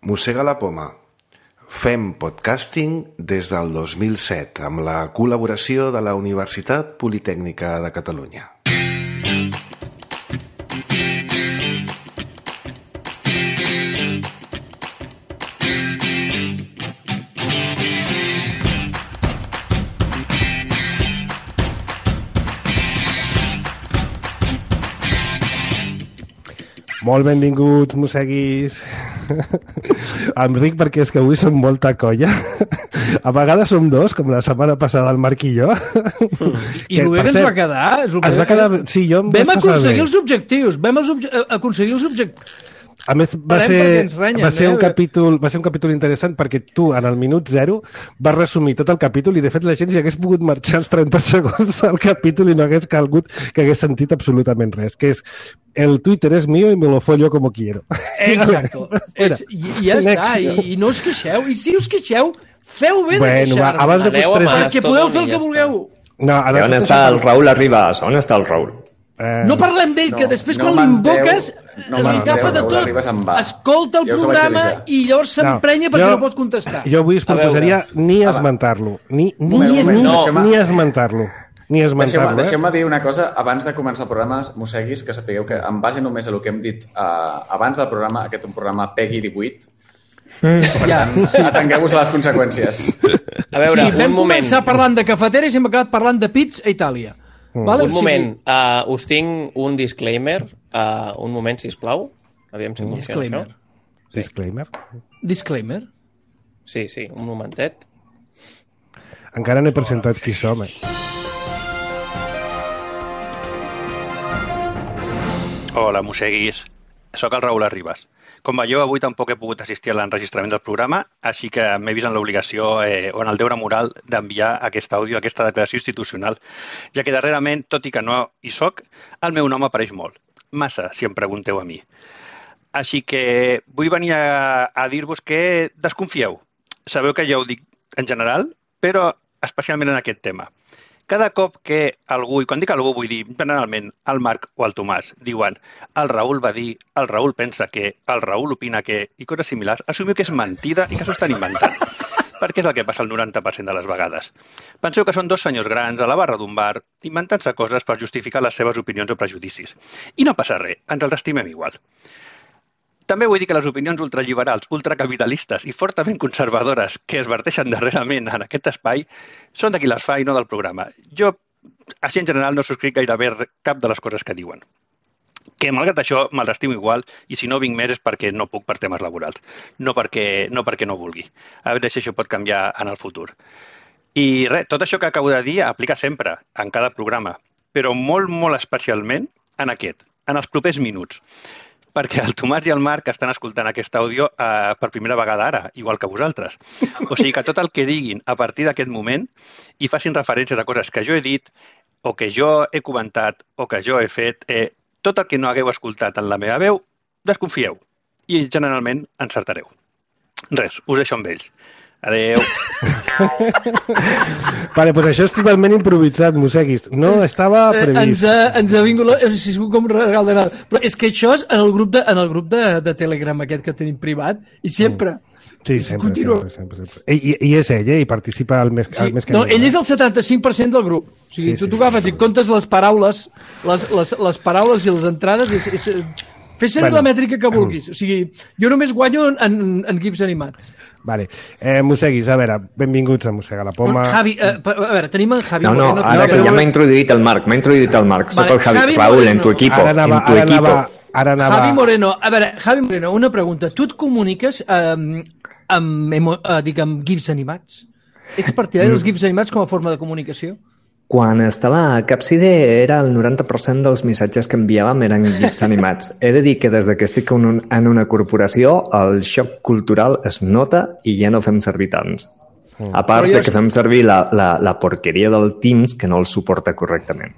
Mossega la poma. Fem podcasting des del 2007 amb la col·laboració de la Universitat Politècnica de Catalunya. Molt benvinguts, mosseguis. Em ric perquè és que avui som molta colla. A vegades som dos, com la setmana passada el Marc i jo. I el bé que ens va quedar... Es va quedar... Sí, jo em vam aconseguir els objectius. Vam aconseguir els objectius. A més, va ser un capítol interessant perquè tu, en el minut 0, vas resumir tot el capítol i, de fet, la gent si hagués pogut marxar els 30 segons del capítol i no hagués calgut que hagués sentit absolutament res, que és el Twitter és mío y me lo follo como quiero. Exacto. Ja està, i no us queixeu. I si us queixeu, feu bé de queixar-vos. Perquè podeu fer el que vulgueu. On està el Raül Arribas? On està el Raül? No parlem d'ell, que després quan l'invoques li agafa de tot, escolta el programa i llavors s'emprenya perquè no pot contestar. Jo avui us proposaria ni esmentar-lo. Ni esmentar-lo. Deixeu-me dir una cosa abans de començar el programa, mosseguis, que sapigueu que en base només a el que hem dit abans del programa, aquest és un programa Peggy 18, per tant, atengueu-vos a les conseqüències. A veure, vam començar parlant de cafeteres i hem acabat parlant de pits a Itàlia. Vale, un moment, us tinc un disclaimer. Un moment, sisplau. Aviam si funciona això. Disclaimer? Sí, un momentet. Encara no he presentat qui som. Hola, mosseguis. Soc el Raül Arribas. Com veieu, avui tampoc he pogut assistir a l'enregistrament del programa, així que m'he vist en l'obligació o en el deure moral d'enviar aquest àudio, aquesta declaració institucional, ja que darrerament, tot i que no hi soc, el meu nom apareix molt. Massa, si em pregunteu a mi. Així que vull venir a dir-vos que desconfieu. Sabeu que ja ho dic en general, però especialment en aquest tema. Cada cop que algú, i quan dic algú vull dir generalment el Marc o el Tomàs, diuen el Raül va dir, el Raül pensa que, el Raül opina que, i coses similars, assumiu que és mentida i que s'ho estan inventant. Perquè és el que passa el 90% de les vegades. Penseu que són dos senyors grans a la barra d'un bar inventant-se coses per justificar les seves opinions o prejudicis. I no passa res, ens els estimem igual. També vull dir que les opinions ultraliberals, ultracapitalistes i fortament conservadores que es verteixen darrerament en aquest espai són de qui les fa i no del programa. Jo, així en general, no subscric gairebé cap de les coses que diuen. Que, malgrat això, me'ls estimo igual i si no vinc més és perquè no puc per temes laborals, no perquè no vulgui. A veure si això pot canviar en el futur. I res, tot això que acabo de dir aplica sempre, en cada programa, però molt, molt especialment en aquest, en els propers minuts. Perquè el Tomàs i el Marc estan escoltant aquest àudio per primera vegada ara, igual que vosaltres. O sigui que tot el que diguin a partir d'aquest moment i facin referències a coses que jo he dit o que jo he comentat o que jo he fet, tot el que no hagueu escoltat en la meva veu, desconfieu i generalment encertareu. Res, us deixo amb ells. Adéu. Vale, doncs això és totalment improvisat, mosseguis. No estava previst. Ens ha vingut com un regal de nada. Però és que això és en el grup de Telegram aquest que tenim privat i sempre... Sí, sempre. I és ell, i participa el més que... No, ell és el 75% del grup. O sigui, tu agafes i comptes les paraules, les paraules i les entrades... Fes servir la mètrica que vulguis. O sigui, jo només guanyo en GIFs animats. Vale. Mosseguis, a veure, benvinguts a Mossega la Poma. Javi, a veure, tenim en Javi Moreno. No, ara que ja m'ha introduït el Marc. Soc el Javi. Raül, en tu equipo. Javi Moreno. A veure, Javi Moreno, una pregunta. Tu et comuniques amb GIFs animats? Ets partidari dels GIFs animats com a forma de comunicació? Quan estava a Capside era el 90% dels missatges que enviàvem eren GIFs animats. He de dir que des que estic en una corporació el xoc cultural es nota i ja no fem servir tants. A part de que fem servir la porqueria del Teams que no el suporta correctament.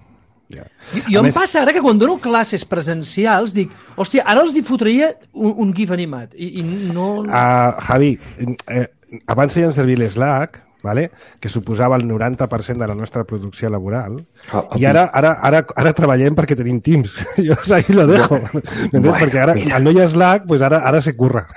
Jo em passa ara que quan dono classes presencials dic, hòstia, ara els hi fotria un GIF animat i no... Javi, abans feien servir l'Slack vale? Que suposava el 90% de la nostra producció laboral, i ara treballem perquè tenim Teams. Jo ahí lo dejo. Bueno, perquè ara no hi ha Slack, pues ara se curra.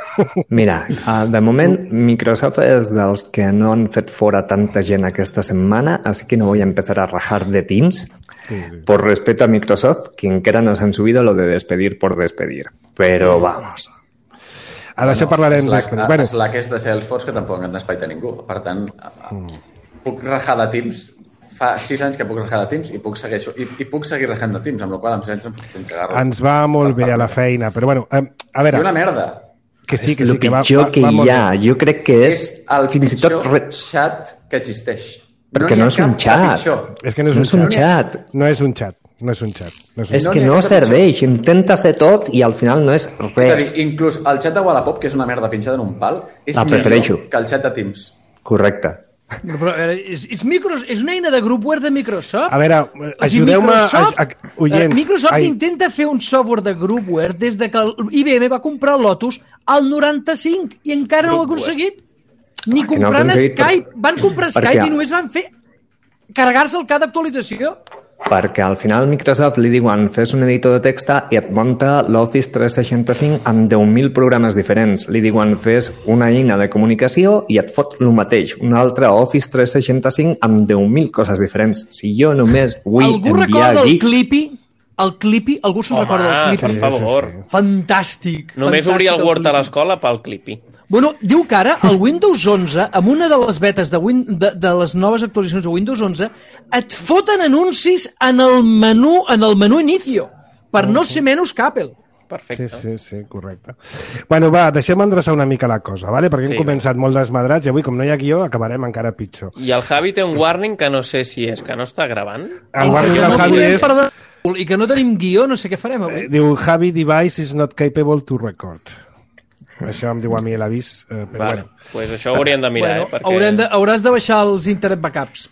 Mira, de moment Microsoft és dels que no han fet fora tanta gent aquesta setmana, así que no voy a empezar a rajar de Teams. Sí. Por respeto a Microsoft, que encara nos han subido lo de despedir por despedir. Però vamos... Ara això parlarem després. Bueno. Slack és de Salesforce, que tampoc han despaita ningú. Per tant, puc rajar de Teams. Fa 6 anys que puc rajar de Teams i puc seguir rajant de Teams, amb la qual cosa em cagarro. Ens va molt bé a la feina, però bueno, a veure... I una merda. Que sí, és el pitjor que hi ha. Jo crec que és el pitjor xat que existeix. Perquè no és un xat. És que no és un xat. No és un xat. No és un xat. És que no serveix. Intenta ser tot i al final no és res. Inclús el xat de Wallapop, que és una merda pinxada en un pal, és millor que el xat de Teams. Correcte. Però és una eina de groupware de Microsoft. A veure, ajudeu-me... Microsoft intenta fer un software de groupware des de que IBM va comprar Lotus al 95 i encara no ho ha aconseguit. Ni comprant Skype. Van comprar Skype i només van fer carregar-se el cada actualització. Perquè al final Microsoft li diuen fes un editor de text i et munta l'Office 365 amb 10.000 programes diferents. Li diuen fes una eina de comunicació i et fot el mateix. Un altre Office 365 amb 10.000 coses diferents. Si jo només vull enviar gigs... El Clippy? Algú se'n recorda del Clippy? Per favor. Fantàstic. Només obria el Word a l'escola pel Clippy. Bueno, diu que ara el Windows 11, amb una de les betes de les noves actualitzacions de Windows 11, et foten anuncis en el menú inicio, per no ser menys que Apple. Perfecte. Sí, correcte. Bueno, va, deixem endreçar una mica la cosa, ¿vale? Perquè hem començat molt desmadrats i avui, com no hi ha guió, acabarem encara pitjor. I el Javi té un warning que no sé si és que no està gravant. El warning del Javi és... I que no tenim guió, no sé què farem avui. Diu, Javi device is not capable to record. Això em diu a mi l'avís, però bueno. Pues això ho hauríem de mirar, perquè... Hauràs de baixar els internet backups.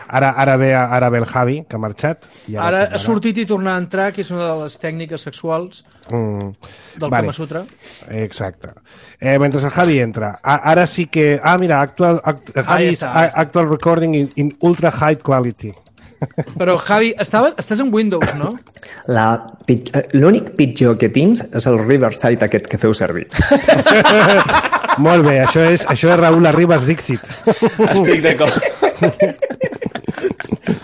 Ara ve el Javi, que ha marxat. Ara ha sortit i tornar a entrar, que és una de les tècniques sexuals del Kama Sutra. Exacte. Mentre el Javi entra, ara sí que... mira, actual recording in ultra high quality. Però, Javi, estàs en Windows, no? L'únic pitjor que Teams és el Riverside aquest que feu servir. Molt bé, això és Raúl Arribas Dixit. Estic d'acord.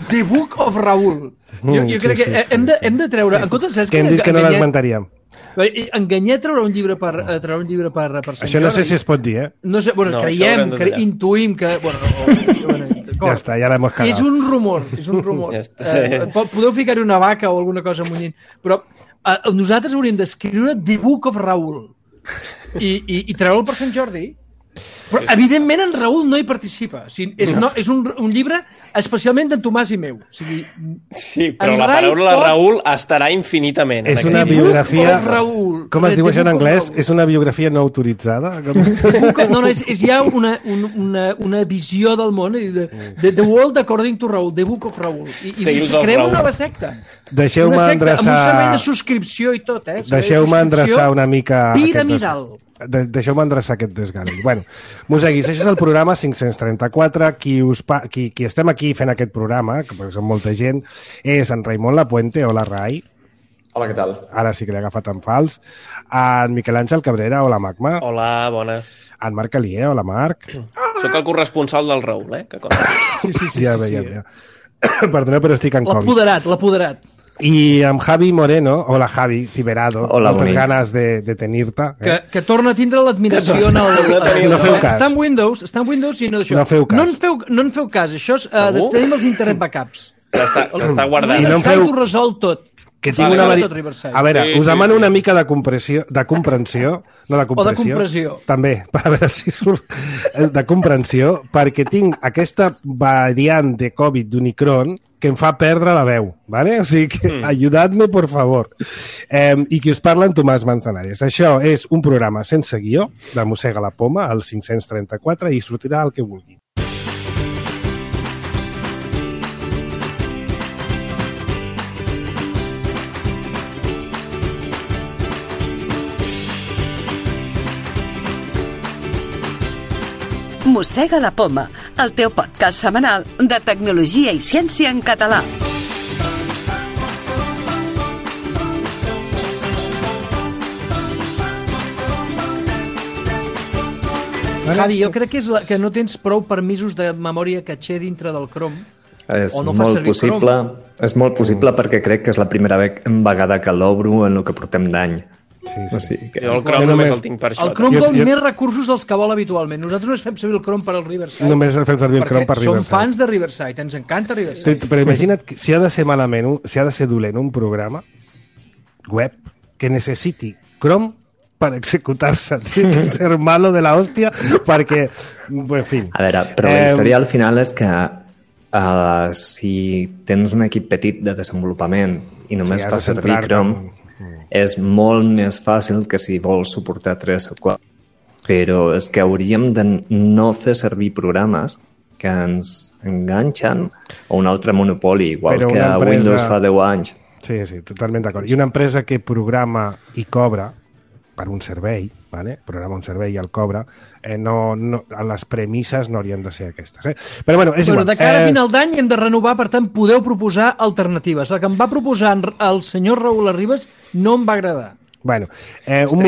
The Book of Raúl. Jo crec que hem de treure... En comptes, saps que hem dit que no l'esmentaríem. Enganyet treure un llibre per Sant Jordi. Això no sé si es pot dir, eh? No sé, bueno, intuïm que... Ja està, ja l'hem cagat. És un rumor. Podeu ficar-hi una vaca o alguna cosa munyint. Però nosaltres hauríem d'escriure The Book of Raúl i treure'l per Sant Jordi. Però, evidentment, en Raúl no hi participa. O sigui, és un llibre especialment d'en Tomàs i meu. O sigui, sí, però la paraula Raúl estarà infinitament. És una biografia... Com es diu això en anglès? És una biografia no autoritzada? No, és ja una visió del món. The World According to Raúl, The Book of Raúl. I creem una nova secta. Deixeu-me endreçar... Amb un servei de subscripció i tot, eh? Deixeu-me endreçar una mica... Piramidal. Deixeu-me endreçar aquest desgavell. Bueno, Museguis, això és el programa 534. Qui estem aquí fent aquest programa, que són molta gent, és en Raimon Lapuente. Hola, Rai. Hola, què tal? Ara sí que l'he agafat en fals. En Miquel Àngel Cabrera. Hola, Magma. Hola, bones. En Marc Alier. Hola, Marc. Soc el corresponsal del Raúl, eh? Sí. Ja. Perdona, però estic en Covid. L'apoderat. I amb Javi Moreno, hola Javi Ciberado, moltes ganes de tenir-te. Que torna a tindre l'admiració en el... No feu cas. Està en Windows i no d'això. No feu cas. No en feu cas, això és... Tenim els internet backups. S'està guardant. I no en feu... Ho resol tot. Que tinc una A veure, us demano una mica de comprensió, no de compressió. O de compressió. També, a veure si surt de comprensió, perquè tinc aquesta variant de Covid d'Omicron que em fa perdre la veu, ¿vale? O sigui que ajudad-me, por favor. I qui us parla, en Tomàs Manzanares. Això és un programa sense guió, de Mossega la Poma, al 534, i sortirà el que vulgui. Mossega la Poma, el teu podcast setmanal de tecnologia i ciència en català. Javi, jo crec que no tens prou permisos de memòria caché dintre del Chrome. És molt possible perquè crec que és la primera vegada que l'obro en el que portem d'any. Sí. Jo el Chrome només el tinc per això. El Chrome vol més recursos dels que vol habitualment. Nosaltres només fem servir el Chrome per al Riverside. Només fem servir el Chrome per Riverside. Som fans de Riverside, ens encanta Riverside. Però imagina't que si ha de ser malament, si ha de ser dolent un programa web que necessiti Chrome per executar-se. Tiene que ser malo de la hòstia perquè, en fi. A veure, però la història al final és que si tens un equip petit de desenvolupament i només fa servir Chrome, és molt més fàcil que si vols suportar 3 o 4. Però és que hauríem de no fer servir programes que ens enganxen a un altre monopoli, igual que a Windows fa 10 anys. Sí, totalment d'acord. I una empresa que programa i cobra per un servei, programa un servei i el cobra, les premisses no haurien de ser aquestes. Però bueno, és igual. De cara a final d'any hem de renovar, per tant, podeu proposar alternatives. La que em va proposar el senyor Raül Arribas no em va agradar. Bueno, un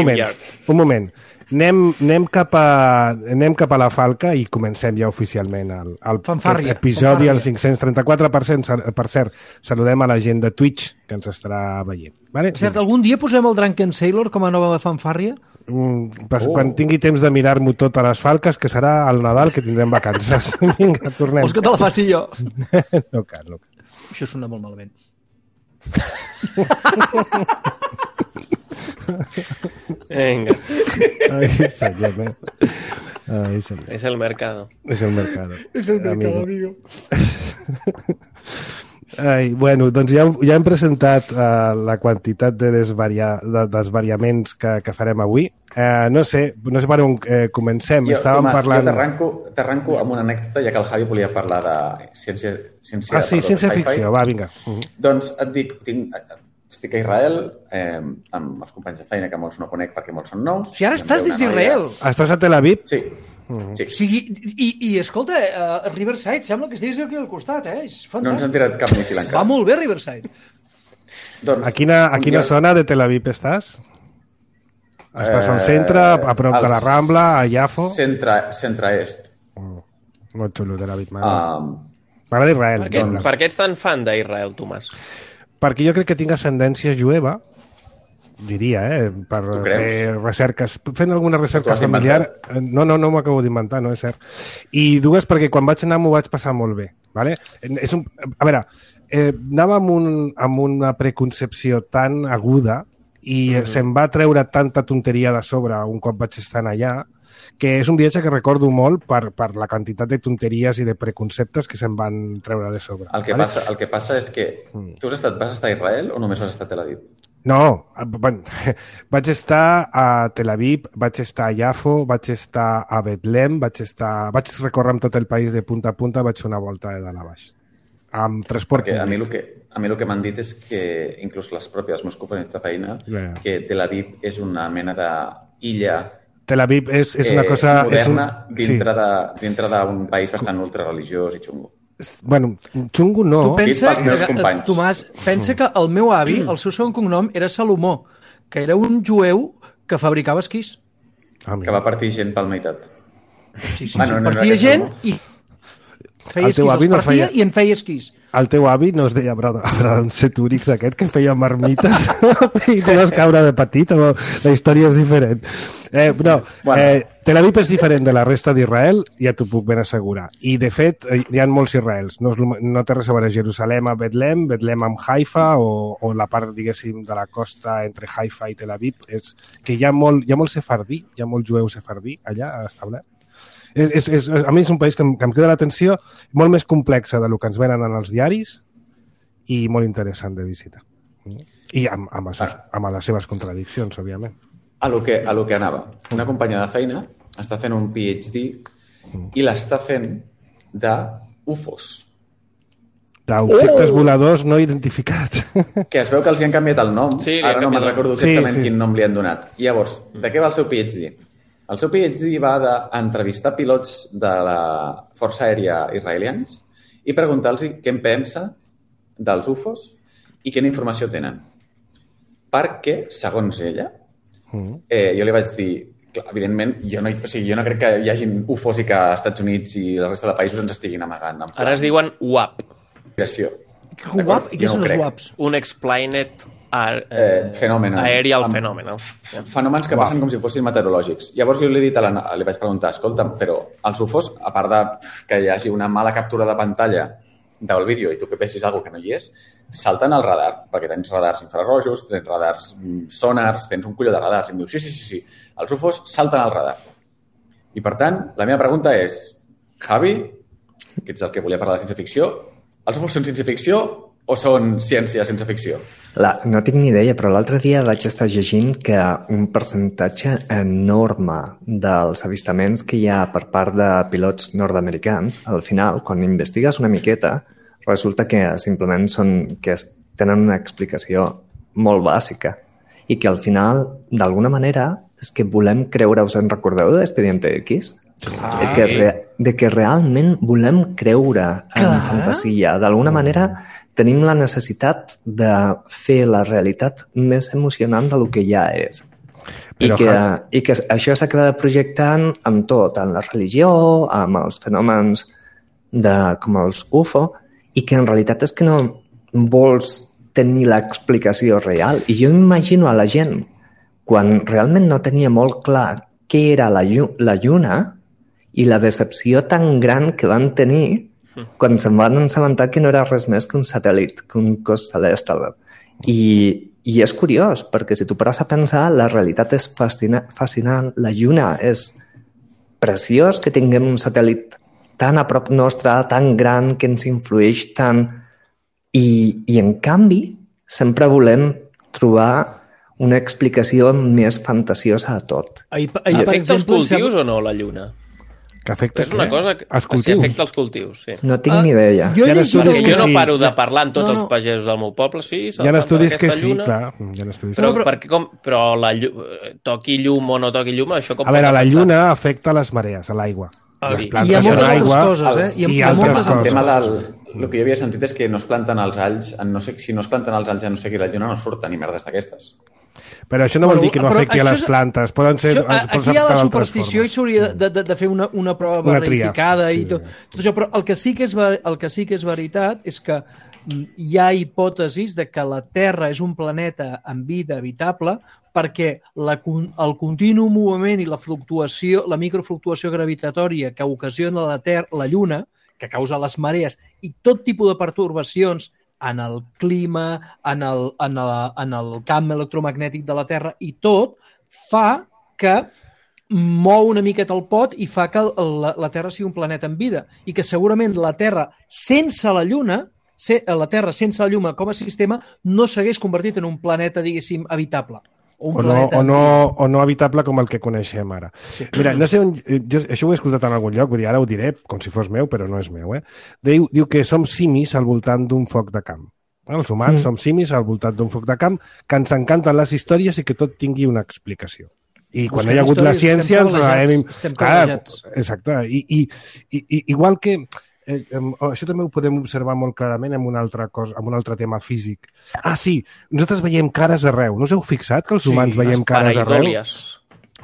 moment. Anem cap a la falca i comencem ja oficialment el episodi, el 534. Per cert, saludem a la gent de Twitch que ens estarà veient. Vale? Cert, algun dia posem el Drunken Sailor com a nova fanfàrria? Quan tingui temps de mirar-m'ho tot a les falques, que serà el Nadal, que tindrem vacances. Vinga, tornem. Vols que te la faci jo? No cal. Això sona molt malament. Venga. Ay, señor. Es el mercado. Es el mercado. Es el mercado, amigo. Bueno, doncs ja hem presentat la quantitat de desvariaments que farem avui. No sé per on comencem. Tomàs, jo t'arranco amb una anècdota, ja que el Javi volia parlar de ciència ficció. Va, vinga. Doncs et dic, estic a Israel amb els companys de feina que molts no conec perquè molts són nous. Si ara estàs des d'Israel. Estàs a Tel Aviv? Sí. O sigui, i escolta, Riverside sembla que estiguis aquí al costat, és fantàstic. No ens han tirat cap míssil encara. Va molt bé, Riverside. A quina zona de Tel Aviv estàs? Estàs al centre, a prop de la Rambla, a Jafo? Centre-est. Molt xulo, Tel Aviv. M'agrada Israel. Per què ets tan fan d'Israel, Tomàs? Perquè jo crec que tinc ascendència jueva, diria, per fer recerques, fent alguna recerca familiar. No m'ho acabo d'inventar, no és cert. I dues, perquè quan vaig anar m'ho vaig passar molt bé. Vale? A veure, anava amb una preconcepció tan aguda i se'm va treure tanta tonteria de sobre un cop vaig estar allà, que és un viatge que recordo molt per la quantitat de tonteries i de preconceptes que se'm van treure de sobre. El que passa és que tu vas estar a Israel o només vas estar a Tel Aviv? No, vaig estar a Tel Aviv, vaig estar a Jafo, vaig estar a Betlem, vaig recórrer amb tot el país de punta a punta, vaig fer una volta de dalt a baix. Amb transport públic. A mi el que m'han dit és que, inclús les pròpies meus companys de feina, que Tel Aviv és una mena d'illa Tel Aviv és una cosa moderna dintre d'un país bastant ultrareligiós i xungo. Bueno, xungo no. Tu pensa, Tomàs, pensa que el meu avi, el seu segon cognom era Salomó, que era un jueu que fabricava esquís. Que va partir gent pel meitat. Sí, partia gent i feia esquís, els partia i en feia esquís. El teu avi no es deia Abraham Setúrix aquest, que feia marmites i tu vas caure de petit, o la història és diferent. Tel Aviv és diferent de la resta d'Israel, ja t'ho puc ben assegurar. I, de fet, hi ha molts Israels. No té res a veure Jerusalem a Betlem amb Haifa, o la part, diguéssim, de la costa entre Haifa i Tel Aviv, és que hi ha molt sefardí, hi ha molt jueu sefardí allà establert. A mi és un país que em crida l'atenció, molt més complexa del que ens venen en els diaris i molt interessant de visitar. I amb les seves contradiccions, òbviament. A lo que anava. Una companya de feina està fent un PhD i l'està fent d'UFOs. D'objectes voladors no identificats. Que es veu que els hi han canviat el nom. Sí, ara no me'n recordo exactament quin nom li han donat. I llavors, de què va el seu PhD? El seu PhD va d'entrevistar pilots de la Força Aèria israelians i preguntar-los què en pensa dels UFOs i quina informació tenen. Perquè, segons ella, jo li vaig dir, clar, evidentment, jo no crec que hi hagi UFOs i que als Estats Units i la resta de països ens estiguin amagant. Ara es diuen UAP. UAP? I què són els UAPs? Unexplained Fenomen. Aerial Phenomenon. Fenòmens que passen com si fossin meteorològics. Llavors jo li vaig preguntar, escolta'm, però els UFOs, a part de que hi hagi una mala captura de pantalla del vídeo i tu que pensis alguna que no hi és, salten al radar, perquè tens radars infrarrojos, tens radars sonars, tens un colló de radars. I em diu, sí, els UFOs salten al radar. I per tant, la meva pregunta és, Javi, que ets el que volia parlar de ciència-ficció, els UFOs són ciència-ficció o són ciència sense ficció? No tinc ni idea, però l'altre dia vaig estar llegint que un percentatge enorme dels avistaments que hi ha per part de pilots nord-americans, al final, quan investigues una miqueta, resulta que simplement tenen una explicació molt bàsica i que al final, d'alguna manera, és que volem creure, us en recordeu d'Expediente X? De que realment volem creure en fantasia. D'alguna manera tenim la necessitat de fer la realitat més emocionant del que ja és. I que això s'acaba projectant amb tot, en la religió, amb els fenòmens com els UFO, i que en realitat és que no vols tenir l'explicació real. I jo imagino a la gent, quan realment no tenia molt clar què era la lluna i la decepció tan gran que van tenir quan se'n van assabentar que no era res més que un satèl·lit, que un cos celeste. I és curiós, perquè si tu pares a pensar, la realitat és fascinant. La lluna és preciós que tinguem un satèl·lit tan a prop nostre, tan gran, que ens influeix tant. I en canvi, sempre volem trobar una explicació més fantasiosa a tot. Afecta els cultius o no, la lluna? Que afecta és una cosa que afecta els cultius, sí. No tinc ni idea. Jo no paro de parlar amb tots els pagesos del meu poble, sí. Hi ha estudis que sí, clar. Però toqui llum o no toqui llum, això com... A veure, la lluna afecta les marees, a l'aigua. Hi ha moltes altres coses, i altres coses. El tema el que jo havia sentit és que no es planten els alls, si no es planten els alls a no sé qui la lluna no surten ni merdes d'aquestes. Però això no vol dir que no afecti a les plantes. Poden ser... Aquí hi ha la superstició i s'hauria de fer una prova verificada i tot això, però el que sí que és veritat és que hi ha hipòtesis de que la Terra és un planeta amb vida habitable perquè el continu moviment i la microfluctuació gravitatòria que ocasiona la Lluna, que causa les marees i tot tipus de pertorbacions en el clima, en el camp electromagnètic de la Terra i tot, fa que mou una miqueta el pot i fa que la Terra sigui un planeta amb vida i que segurament la Terra sense la Lluna, com a sistema, no s'hagués convertit en un planeta, diguéssim, habitable. O no habitable com el que coneixem ara. Sí. Mira, no sé on... això ho he escoltat en algun lloc, vull dir, ara ho diré com si fos meu, però no és meu. Diu que som simis al voltant d'un foc de camp. Els humans som simis al voltant d'un foc de camp, que ens encanten les històries i que tot tingui una explicació. I quan hi ha hagut la ciència... Estem privilegiats. Exacte. Igual que... això també ho podem observar molt clarament en una altra cosa, en un altre tema físic. Sí, nosaltres veiem cares arreu. No us heu fixat que els humans veiem cares arreu?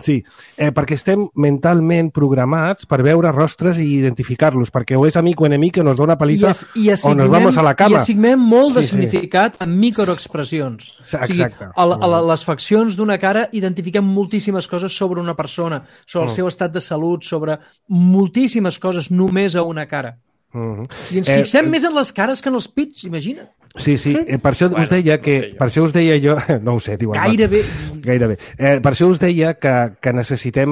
Sí, perquè estem mentalment programats per veure rostres i identificar-los, perquè o és amic o enemic que nos dona paliza o nos vamos a la cama. I assignem molt de significat en microexpressions. Exacte. A les faccions d'una cara identifiquem moltíssimes coses sobre una persona, sobre el seu estat de salut, sobre moltíssimes coses només a una cara. I ens fixem més en les cares que en els pits, imagina't. Sí, per això us deia jo... No ho sé, diu el Gairebé. Per això us deia que necessitem...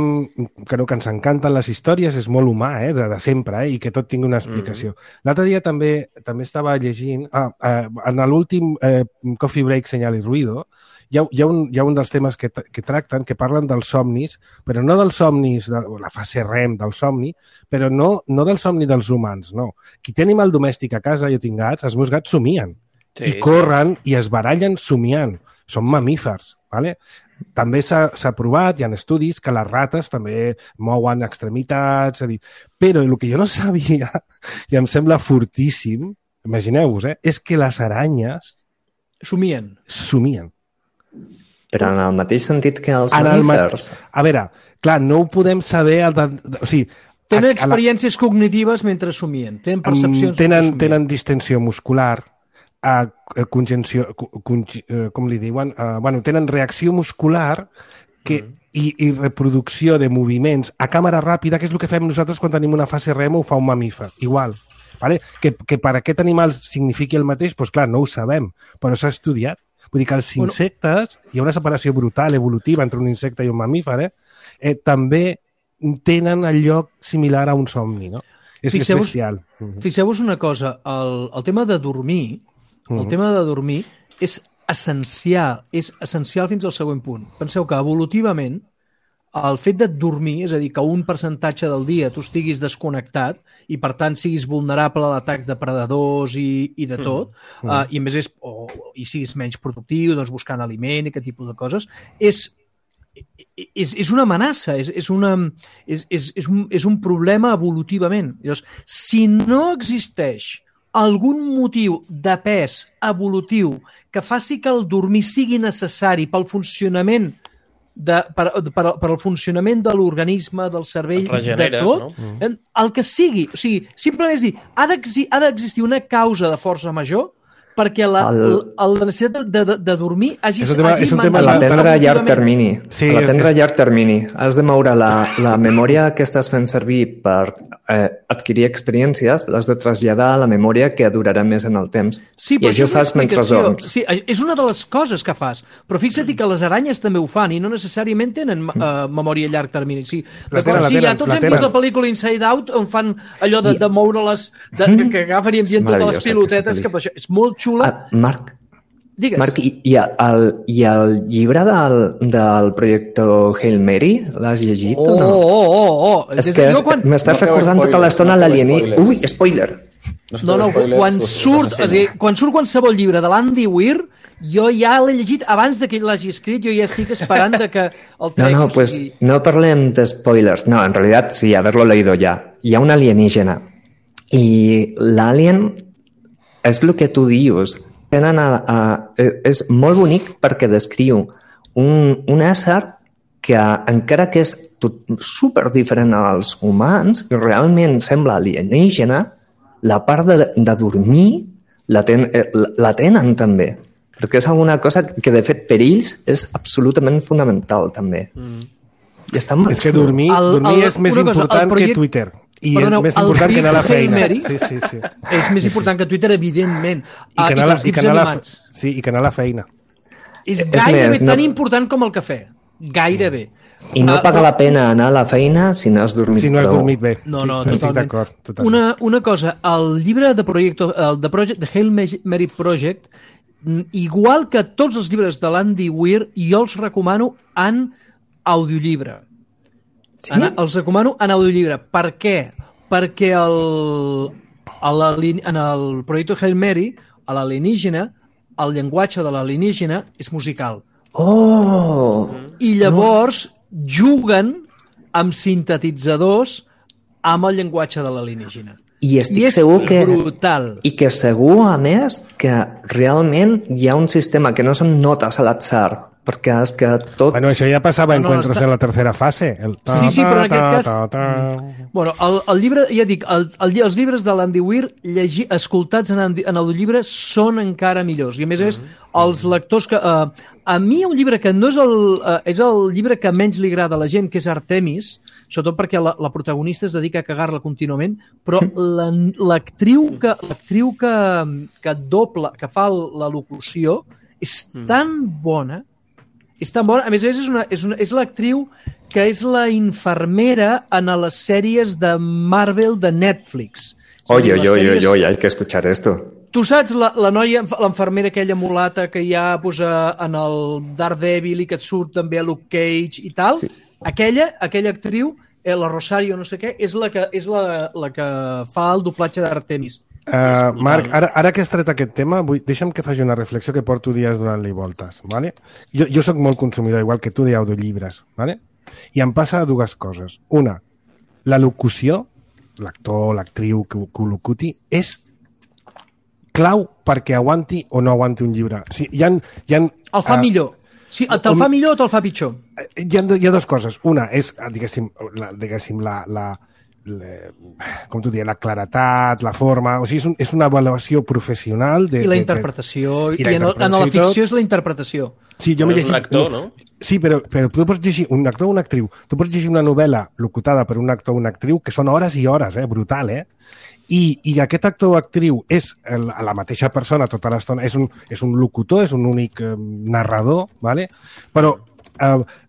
Que ens encanten les històries, és molt humà, de sempre, i que tot tingui una explicació. L'altre dia també estava llegint... En l'últim Coffee Break, Señal y Ruido, hi ha un dels temes que tracten, que parlen dels somnis, però no dels somnis, de la fase REM del somni, però no del somni dels humans, no. Qui té animal domèstic a casa, jo tinc gats, els meus gats somien. I corren i es barallen somiant. Són mamífers. Vale? també s'ha provat, hi ha estudis, que les rates també mouen extremitats, però el que jo no sabia, i em sembla fortíssim, imagineu-vos, és que les aranyes somien. Però en el mateix sentit que els mamífers. A veure, clar, no ho podem saber... Tenen experiències cognitives mentre somien, tenen percepcions... Tenen distensió muscular, congenció, com li diuen? Tenen reacció muscular i reproducció de moviments a càmera ràpida, que és el que fem nosaltres quan tenim una fase REM o ho fa un mamífer. Igual. Vale? Que per aquest animal signifiqui el mateix, doncs clar, no ho sabem, però s'ha estudiat. Vull dir que els insectes, hi ha una separació brutal, evolutiva, entre un insecte i un mamífer, també tenen el lloc similar a un somni, no? És bestial. Fixeu-vos una cosa, el tema de dormir, és essencial fins al següent punt. Penseu que evolutivament el fet de dormir, és a dir, que un percentatge del dia tu estiguis desconnectat i per tant siguis vulnerable a l'atac de predadors i de tot, i a més i siguis menys productiu, doncs buscant aliment i aquest tipus de coses, és una amenaça, és un problema evolutivament. Llavors, si no existeix algun motiu de pes evolutiu que faci que el dormir sigui necessari pel funcionament per al funcionament de l'organisme, del cervell, de tot, no? El que sigui. O sigui, simplement és dir, ha d'existir una causa de força major perquè la necessitat de dormir hagi mantingut. A l'aprendre a llarg termini. A l'aprendre a llarg termini. Has de moure la memòria que estàs fent servir per adquirir experiències, l'has de traslladar a la memòria que durarà més en el temps. Sí, i això fas mentre dorms. Sí, és una de les coses que fas. Però fixa't que les aranyes també ho fan i no necessàriament tenen memòria a llarg termini. Sí, tots hem vist la pel·lícula Inside Out on fan allò de moure-les, que agafen i envien totes les pilotetes, que és molt xula. Marc, i el llibre del projecte Hail Mary, l'has llegit o no? És que m'estàs recordant tota l'estona l'alienígena. Ui, spoiler! No, quan surt qualsevol llibre de l'Andy Weir, jo ja l'he llegit abans que ell l'hagi escrit, jo ja estic esperant que el tregui. No, pues no parlem de spoilers. No, en realidad sí, haberlo leído ya. Hi ha un alienígena i l'alien és el que tu dius. És molt bonic perquè descriu un ésser que encara que és super diferent als humans, realment sembla alienígena, la part de dormir la tenen també. Perquè és alguna cosa que, de fet, per ells és absolutament fonamental, també. I està molt... És que dormir és més important que Twitter. I és més important que anar a la feina. Sí. És més important que Twitter, evidentment. I que anar a la feina. És gairebé tan important com el cafè. Gairebé. I no paga la pena anar a la feina si no has dormit prou. Si no has dormit bé. No, totalment. Una cosa, el llibre de Hail Mary Project, igual que tots els llibres de l'Andy Weir, jo els recomano en audiollibre. Sí? Els recomano en audiollibre. Per què? Perquè en el projecte Hail Mary, a l'alienígena, el llenguatge de l'alienígena és musical. I llavors juguen amb sintetitzadors amb el llenguatge de l'alienígena. I estic segur que... brutal. I que segur, a més, que realment hi ha un sistema que no són notes a l'atzar, perquè és que tot... Bueno, això ja passava en Encuentros en la tercera fase. Sí, però en aquest cas... Bueno, el llibre, ja dic, els llibres de l'Andy Weir escoltats en audiollibre són encara millors. I a més, els lectors que... A mi un llibre que no és el llibre que menys li agrada a la gent, que és Artemis, sobretot perquè la protagonista es dedica a cagar-la contínuament, però l'actriu que dobla, que fa la locució, és tan bona, a més és l'actriu que és la infermera en les sèries de Marvel de Netflix. Oye, hay que escuchar esto. Tu saps la noia, l'enfermera aquella mulata que hi ha en el Daredevil i que et surt també a Luke Cage i tal? Sí. Aquella actriu, la Rosario no sé què, és la que fa el doblatge d'Artemis. Marc, ara que has tret aquest tema, deixa'm que faci una reflexió que porto dies donant-li voltes. Vale? Jo sóc molt consumidor, igual que tu, d'audiollibres. Vale? I em passa dues coses. Una, la locució, l'actor, l'actriu que ho locuti, és clau perquè aguanti o no aguanti un llibre. O sigui, el fa millor. Sí, te'l fa millor o te'l fa pitjor? Hi ha dues coses. Una és, diguéssim, com tu dius, la claretat, la forma... O sigui, és una avaluació professional... I la interpretació. I en la ficció és la interpretació. Sí, jo és un actor, no? Sí, però tu pots llegir un actor o una actriu. Tu pots llegir una novel·la locutada per un actor o una actriu que són hores i hores, brutal, I aquest actor o actriu és la mateixa persona tota l'estona, és un locutor, és un únic narrador, ¿vale? Però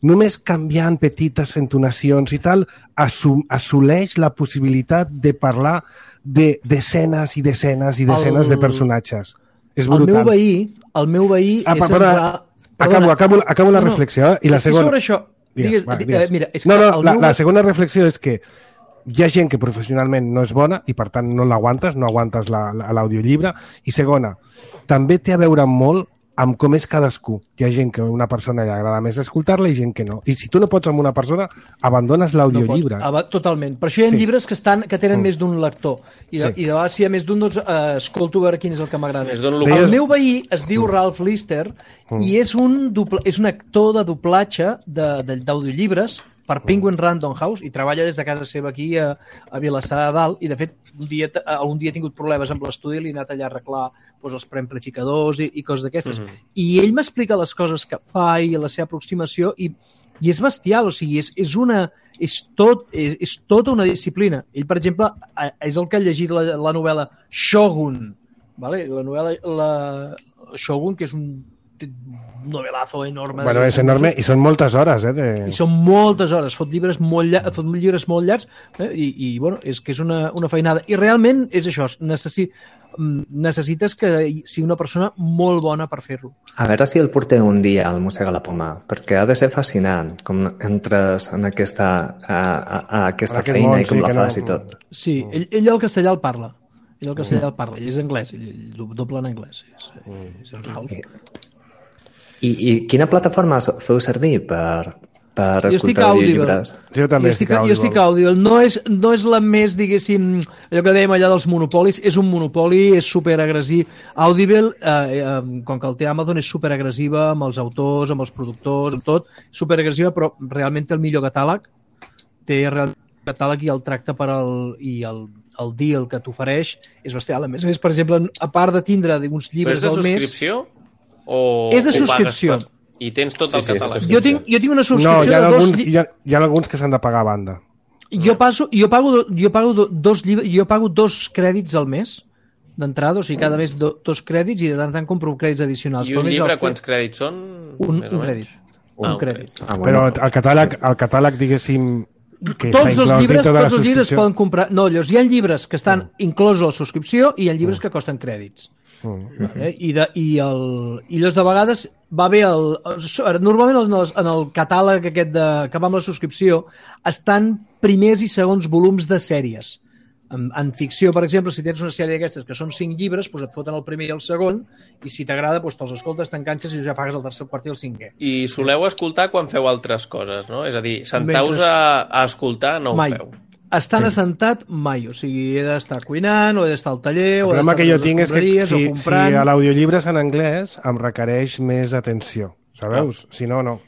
només canviant petites entonacions i tal, assoleix la possibilitat de parlar d'escenes i desenes i desenes de personatges. És brutal. El meu veí és... Acabo la reflexió. I la segona... Sobre això... La segona reflexió és que hi ha gent que professionalment no és bona i per tant no l'aguantes, no aguantes l'audiollibre. I segona, també té a veure molt amb com és cadascú. Hi ha gent que a una persona li agrada més escoltar-la i gent que no. I si tu no pots amb una persona, abandones l'audiollibre. Totalment. Per això hi ha llibres que tenen més d'un lector. I de vegades, si hi ha més d'un, doncs escolto a veure quin és el que m'agrada. El meu veí es diu Ralph Lister i és un actor de doblatge d'audiollibres per Penguin Random House i treballa des de casa seva aquí a Vilassar de Dalt i de fet algun dia he tingut problemes amb l'estudi i li he anat allà a arreglar els preamplificadors i coses d'aquestes. I ell m'explica les coses que fa i la seva aproximació i és bestial, o sigui, és tota una disciplina. Ell, per exemple, és el que ha llegit la novel·la Shogun, vale? La novel·la Shogun, que és un novelazo enorme. Bueno, és enorme i són moltes hores. I són moltes hores. Fot llibres molt llargs i bueno, és que és una feinada. I realment és això, necessites que sigui una persona molt bona per fer-lo. A veure si el portem un dia al Mossega la Poma, perquè ha de ser fascinant com entres en aquesta feina i com la fas i tot. Sí, ell el castellà el parla. Ell és anglès, ell dobla en anglès. És el Ralph. I quina plataforma feu servir per escoltar audiollibres? Jo també estic Audible. Jo estic Audible. No és la més, diguéssim, allò que dèiem allà dels monopolis, és un monopoli, és superagressiu. Audible, com que el té Amazon, és superagressiva amb els autors, amb els productors, amb tot, superagressiva, però realment té el millor catàleg. Té realment el catàleg i el tracte el deal que t'ofereix és bestial. A més, per exemple, a part de tindre uns llibres del mes... Però és de subscripció? És de subscripció. I tens tot el catàleg. Jo tinc una subscripció de dos... Hi ha alguns que s'han de pagar a banda. Jo pago 2 crèdits al mes d'entrada, o sigui, cada mes 2 crèdits i de tant en tant compro crèdits addicionals. I un llibre, quants crèdits són? Un crèdit. Un crèdit. Però el catàleg, diguéssim, que tots els llibres poden comprar... No, llavors hi ha llibres que estan inclosos a la subscripció i hi ha llibres que costen crèdits. I llavors de vegades va bé normalment en el catàleg aquest que va amb la subscripció estan primers i segons volums de sèries. En ficció, per exemple, si tens una sèrie d'aquestes que són 5 llibres, doncs et foten el primer i el segon i si t'agrada, doncs te'ls escoltes, t'enganxes i ja pagues el tercer, quart i el 5è. I soleu escoltar quan feu altres coses, no? És a dir, sentau-vos a escoltar no ho feu. Estan assentat mai, o sigui, he d'estar cuinant o he d'estar al taller o he d'estar a les escombraries o comprant. Si l'audiollibre és en anglès, em requereix més atenció, sabeu? Si no, no.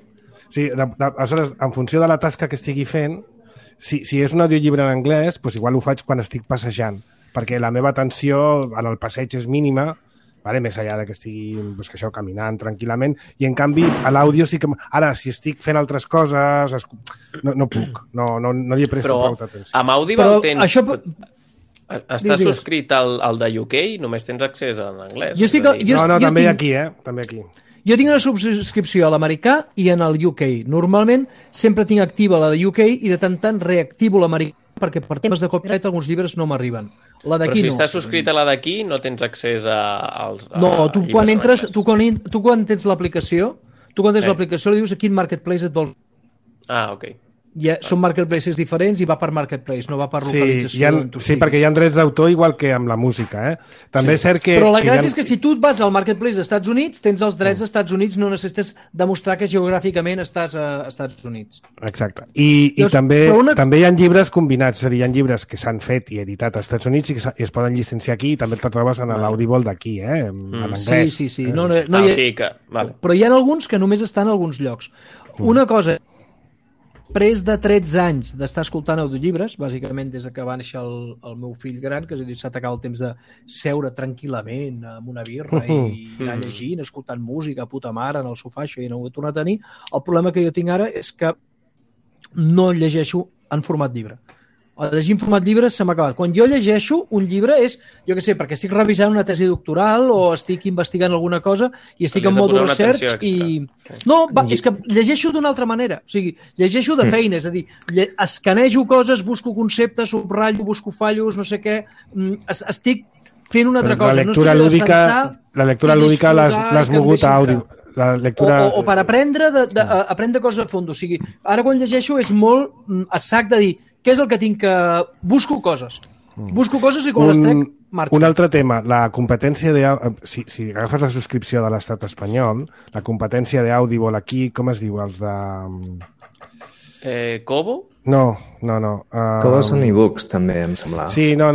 Aleshores, en funció de la tasca que estigui fent, si és un audiollibre en anglès, doncs igual ho faig quan estic passejant, perquè la meva atenció en el passeig és mínima, vale? Més enllà que estigui caminant tranquil·lament, i en canvi a l'àudio sí que... Ara, si estic fent altres coses, no puc, no li he prestat prou atenció. Però amb Audible tens... Estàs subscrit al de UK i només tens accés en anglès. També aquí, també aquí. Jo tinc una subscripció a l'americà i en el UK. Normalment sempre tinc activa la de UK i de tant en tant reactivo l'americà perquè per temes de copyright alguns llibres no m'arriben. Però si estàs subscrit a la d'aquí no tens accés als... No, tu quan entres, tu quan tens l'aplicació, li dius a quin marketplace et vols... Ah, ok. són marketplaces diferents i va per marketplace, no va per localització. Sí, perquè hi ha drets d'autor igual que amb la música. També és cert que... Però la gràcia és que si tu et vas al marketplace dels Estats Units, tens els drets dels Estats Units, no necessites demostrar que geogràficament estàs a Estats Units. Exacte. I també hi ha llibres combinats, és a dir, hi ha llibres que s'han fet i editat als Estats Units i es poden llicenciar aquí i també te'l trobes en l'Audible d'aquí, en anglès. Sí. Però hi ha alguns que només estan a alguns llocs. Una cosa... Després de 13 anys d'estar escoltant audiollibres, bàsicament des que va néixer el meu fill gran, que s'ha t'acaba el temps de seure tranquil·lament amb una birra i anar llegint, escoltant música, puta mare, en el sofà, això ja no ho he tornat a tenir. El problema que jo tinc ara és que no llegeixo en format llibre. El llegir en format llibre se m'ha acabat. Quan jo llegeixo un llibre és, jo què sé, perquè estic revisant una tesi doctoral o estic investigant alguna cosa i estic en mode research i... No, és que llegeixo d'una altra manera. O sigui, llegeixo de feina, és a dir, escanejo coses, busco conceptes, subratllo, busco fallos, no sé què... Estic fent una altra cosa. La lectura lúdica l'has mogut a àudio. O per aprendre coses a fons. O sigui, ara quan llegeixo és molt a sac de dir què és el que tinc que... Busco coses. Busco coses i quan les trec, marxo. Un altre tema, la competència de... Si agafes la subscripció de l'Estat espanyol, la competència d'Audible aquí, com es diu? Els de... Kobo? No. Kobo són e-books, també, em sembla. Sí, no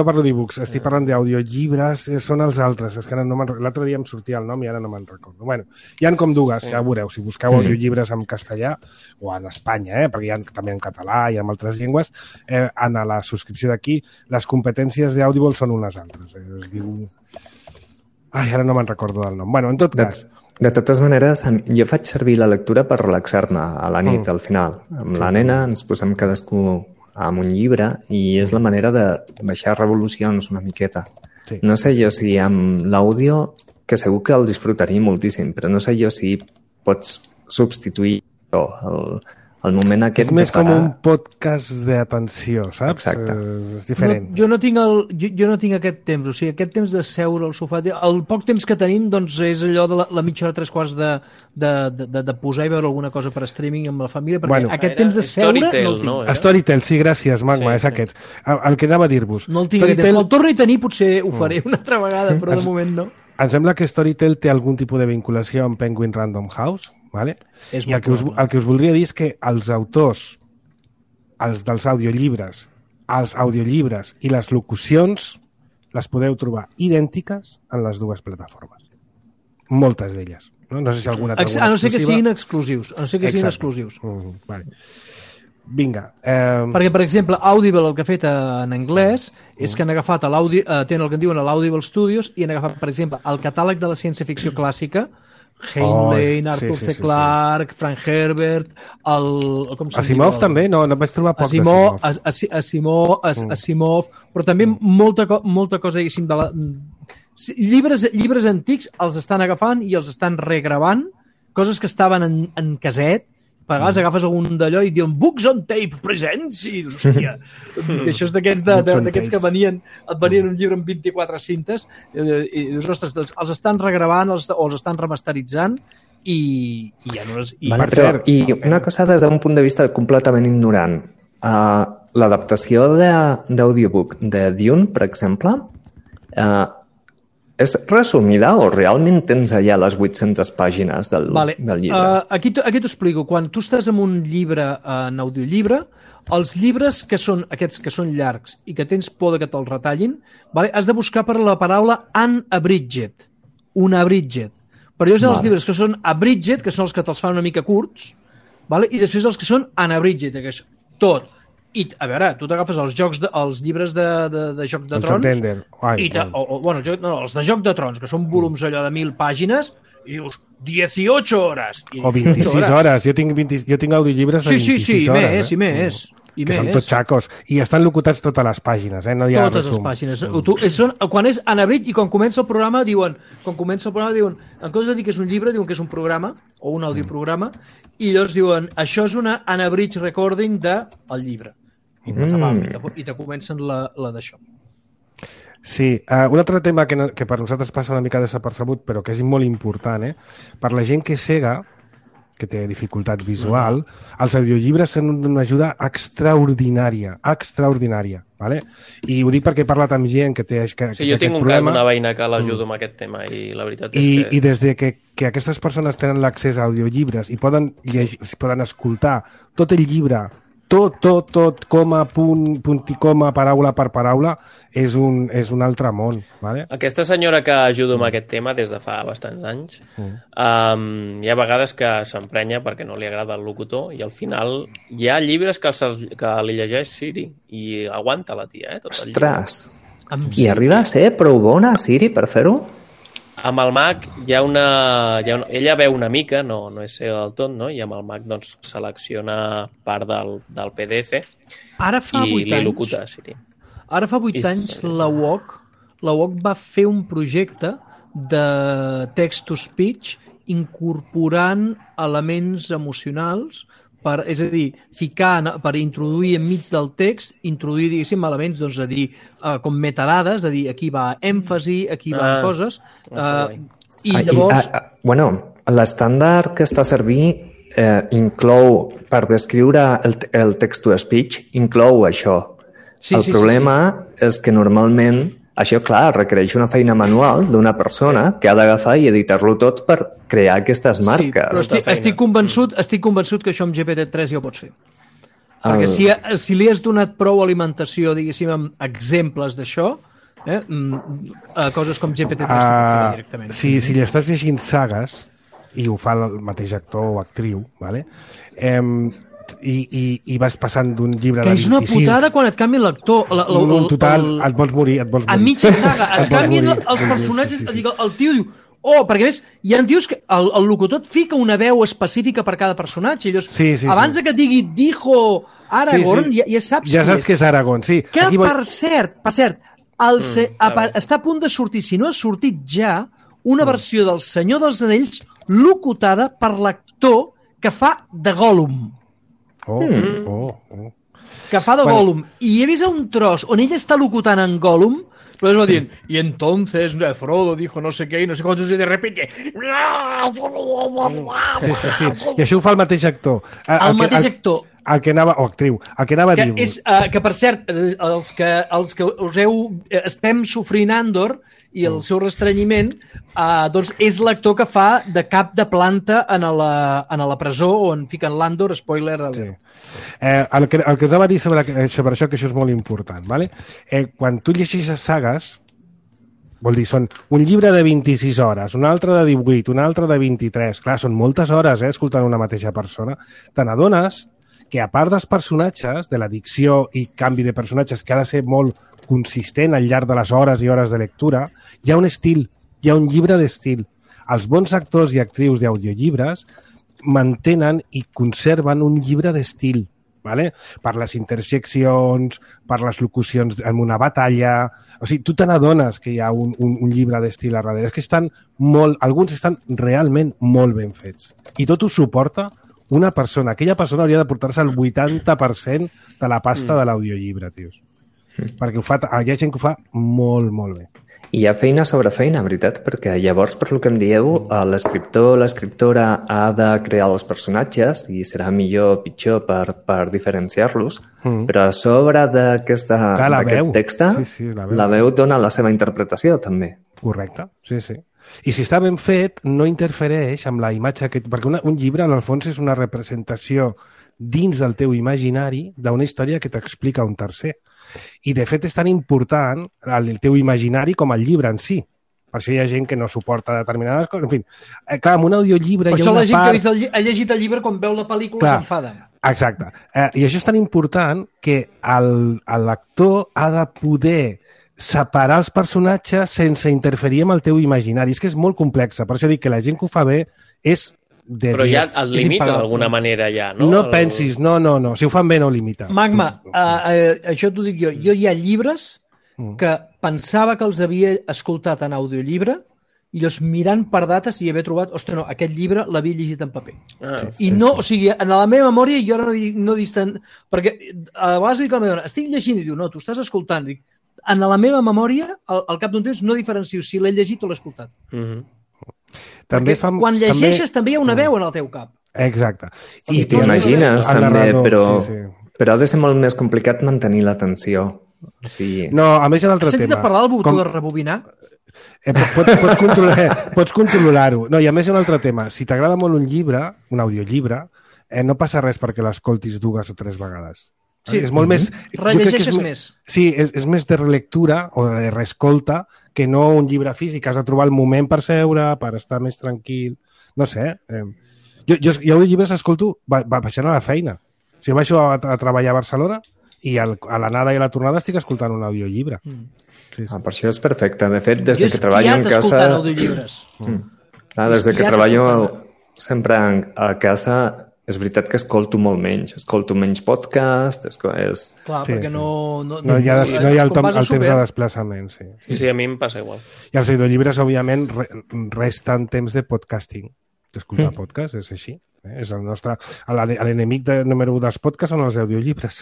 parlo d'e-books, estic parlant d'audiollibres, són els altres. És que l'altre dia em sortia el nom i ara no me'n recordo. Bueno, hi ha com dues, ja veureu, si busqueu audiollibres en castellà, o en Espanya, perquè hi ha també en català i en altres llengües, en la subscripció d'aquí, les competències d'Audible són unes altres. Es diu... ara no me'n recordo del nom. Bueno, en tot cas... De totes maneres, jo faig servir la lectura per relaxar-me a la nit, al final. Amb la nena ens posem cadascú amb un llibre i és la manera de baixar revolucions una miqueta. Sí. No sé jo si amb l'àudio, que segur que el disfrutaria moltíssim, però no sé jo si pots substituir el moment aquest... És més com un podcast d'atenció, saps? Exacte. És diferent. Jo no tinc aquest temps, o sigui, aquest temps de seure al sofà, el poc temps que tenim doncs és allò de la mitja hora, 3/4 de posar i veure alguna cosa per streaming amb la família, perquè aquest temps de seure no el tinc. Storytel, sí, gràcies, Magma, és aquest. El que anava a dir-vos. No el tinc, quan el torni a tenir potser ho faré una altra vegada, però de moment no. Em sembla que Storytel té algun tipus de vinculació amb Penguin Random House, vale? I el que us voldria dir és que els autors, els dels audiollibres, els audiollibres i les locucions les podeu trobar idèntiques en les dues plataformes. Moltes d'elles. No sé si alguna a no ser que siguin exclusius. Vale. Vinga. Perquè, per exemple, Audible el que ha fet en anglès és que han agafat tenen el que en diuen l'Audible Studios i han agafat, per exemple, el catàleg de la ciència-ficció clàssica, Heinlein, Arthur C. Clarke, Frank Herbert, Asimov també? No vaig trobar poc Asimov, però també molta cosa, diguéssim, llibres antics els estan agafant i els estan regravant, coses que estaven en caset. A vegades agafes algun d'allò i diuen Books on Tape Presents i dius, hòstia, això és d'aquests que et venien un llibre amb 24 cintes i dius, ostres, els estan regravant o els estan remasteritzant i ja no les... I una cosa des d'un punt de vista completament ignorant, l'adaptació d'audiobook de Dune, per exemple, és resumida o realment tens allà les 800 pàgines del llibre? Aquí t'ho explico. Quan tu estàs en un llibre en audiollibre, els llibres que són aquests que són llargs i que tens por que te'ls retallin, has de buscar per la paraula unabridged. Unabridged. Però llavors els llibres que són abridged, que són els que te'ls fan una mica curts, i després els que són unabridged, que és tot. I, a veure, tu t'agafes els llibres de Joc de Trons els de Joc de Trons, que són volums allò de 1.000 pàgines i dius, 18 hores o 26 hores, jo tinc audiollibres de 26 hores i més que són tots xacos i estan locutats totes les pàgines, no hi ha totes les pàgines. Quan és anabrit i quan comença el programa diuen, en comptes de dir que és un llibre, diuen que és un programa o un audioprograma i llavors diuen, això és una unabridged recording del llibre i te comencen la d'això. Sí, un altre tema que per nosaltres passa una mica desapercebut però que és molt important, per la gent que és cega que té dificultat visual, els audiollibres són una ajuda extraordinària, ¿vale? I ho dic perquè he parlat amb gent que té aquest jo tinc un cas d'una veïna que l'ajudo amb aquest tema i la veritat és que... I des de que aquestes persones tenen l'accés a audiollibres i poden escoltar tot el llibre, tot, coma, punt i coma, paraula per paraula, és un altre món. ¿Vale? Aquesta senyora que ajudo amb aquest tema des de fa bastants anys, hi ha vegades que s'emprenya perquè no li agrada el locutor i al final hi ha llibres que li llegeix Siri i aguanta la tia, tot el llibre. Ostres! I arriba a ser prou bona Siri per fer-ho? Amb el Mac hi ha ella veu una mica, no és cega del tot, no? I amb el Mac doncs, selecciona part del PDF i li locuta a Siri. Ara fa 8 anys la UOC va fer un projecte de text-to-speech incorporant elements emocionals, és a dir, per introduir enmig del text, introduir, diguéssim, elements, doncs, a dir, com metadades, a dir, aquí va èmfasi, aquí van coses, i llavors... L'estàndard que es fa servir inclou, per descriure el text-to-speech, inclou això. El problema és que normalment això, clar, requereix una feina manual d'una persona que ha d'agafar i editar-lo tot per crear aquestes marques. Sí, però estic convençut que això amb GPT-3 ja ho pots fer. Perquè si li has donat prou alimentació, diguéssim, amb exemples d'això, coses com GPT-3 ho pots fer directament. Si li estàs llegint sagues, i ho fa el mateix actor o actriu, ¿vale? I vas passant d'un llibre de 26... Que és una putada quan et canvien l'actor. Total, et vols morir. A mitja saga, et canvien els personatges, el tio diu... perquè a més, hi ha tios que el locutor et fica una veu específica per cada personatge. Abans que et digui dijo Aragorn, ja saps ja saps que és Aragorn, sí. Que, per cert, està a punt de sortir, si no ha sortit ja, una versió del Senyor dels Anells locutada per l'actor que fa de Gollum. Que fa de Gollum. I he vist un tros on ell està locutant en Gollum, però és dient, y entonces Frodo dijo no sé què i no sé quantos, i de repente... Sí. I això ho fa el mateix actor. El mateix actor. O actriu. El que anava a dir... Que, per cert, els que estem sofrint Andor i el seu restrenyiment, doncs és l'actor que fa de cap de planta a la presó on fiquen l'Andor, spoiler. Sí. El que us anava a dir sobre això, que això és molt important, ¿vale? Quan tu llegeixes sagues, vol dir, són un llibre de 26 hores, un altre de 18, un altre de 23, clar, són moltes hores, escoltant una mateixa persona, te n'adones que a part dels personatges, de la dicció i canvi de personatges, que ha de ser molt consistent al llarg de les hores i hores de lectura, hi ha un estil, hi ha un llibre d'estil. Els bons actors i actrius d'audiollibres mantenen i conserven un llibre d'estil, ¿vale? Per les interjeccions, per les locucions en una batalla... O sigui, tu te n'adones que hi ha un llibre d'estil a darrere. És que alguns estan realment molt ben fets. I tot ho suporta una persona. Aquella persona hauria de portar-se el 80% de la pasta de l'audiollibre, tios. Perquè hi ha gent que ho fa molt, molt bé. I hi ha feina sobre feina, veritat, perquè llavors, per lo que em dieu, l'escriptor o l'escriptora ha de crear els personatges i serà millor o pitjor per diferenciar-los, però a sobre d'aquest text, la veu dona la seva interpretació, també. Correcte, sí. I si està ben fet, no interfereix amb la imatge perquè un llibre, en el fons, és una representació dins del teu imaginari d'una història que t'explica un tercer. I, de fet, és tan important el teu imaginari com el llibre en si. Per això hi ha gent que no suporta determinades coses. En fi, clar, amb un audiollibre hi ha una part... Per això la gent que ha llegit el llibre, quan veu la pel·lícula, s'enfada. Exacte. I això és tan important que l'actor ha de poder separar els personatges sense interferir amb el teu imaginari. És que és molt complexa. Per això dic que la gent que ho fa bé és... Però ja el limita d'alguna manera ja, no? No pensis, no. Si ho fan bé no ho limita. Magma, això t'ho dic jo. Jo hi ha llibres que pensava que els havia escoltat en audiollibre i llavors mirant per dates i haver trobat, ostres, no, aquest llibre l'havia llegit en paper. O sigui, en la meva memòria jo ara no distant... Perquè a vegades dic a la meva dona, estic llegint i diu, no, tu estàs escoltant. Dic, en la meva memòria, al cap d'un temps, no diferencio si l'he llegit o l'he escoltat. Quan llegeixes també hi ha una veu en el teu cap. Exacte. I t'imagines també, però ha de ser molt més complicat mantenir l'atenció. No, a més hi ha un altre tema. Has sentit parlar del botó de rebobinar? Pots controlar-ho. No, i a més hi ha un altre tema. Si t'agrada molt un llibre, un audiollibre, no passa res perquè l'escoltis 2 o 3 vegades. Sí, és molt més... rellegeixes més. Sí, és més de relectura o de reescolta que no un llibre físic. Has de trobar el moment per seure, per estar més tranquil. No sé. Jo audiollibres escolto baixant a la feina. Si jo baixo a treballar a Barcelona i a l'anada i a la tornada estic escoltant un audiollibre. Sí. Per això és perfecte. De fet, des que treballo en casa... Jo he escoltant audiollibles. Des de que treballo sempre a casa, és veritat que escolto molt menys. Escolto menys podcast... Clar, perquè no hi ha el temps de desplaçament, sí. Sí, a mi em passa igual. I els audiollibres, òbviament, resten temps de podcasting. D'escoltar podcast, és així. És el nostre... L'enemic número 1 dels podcasts són els audiollibres.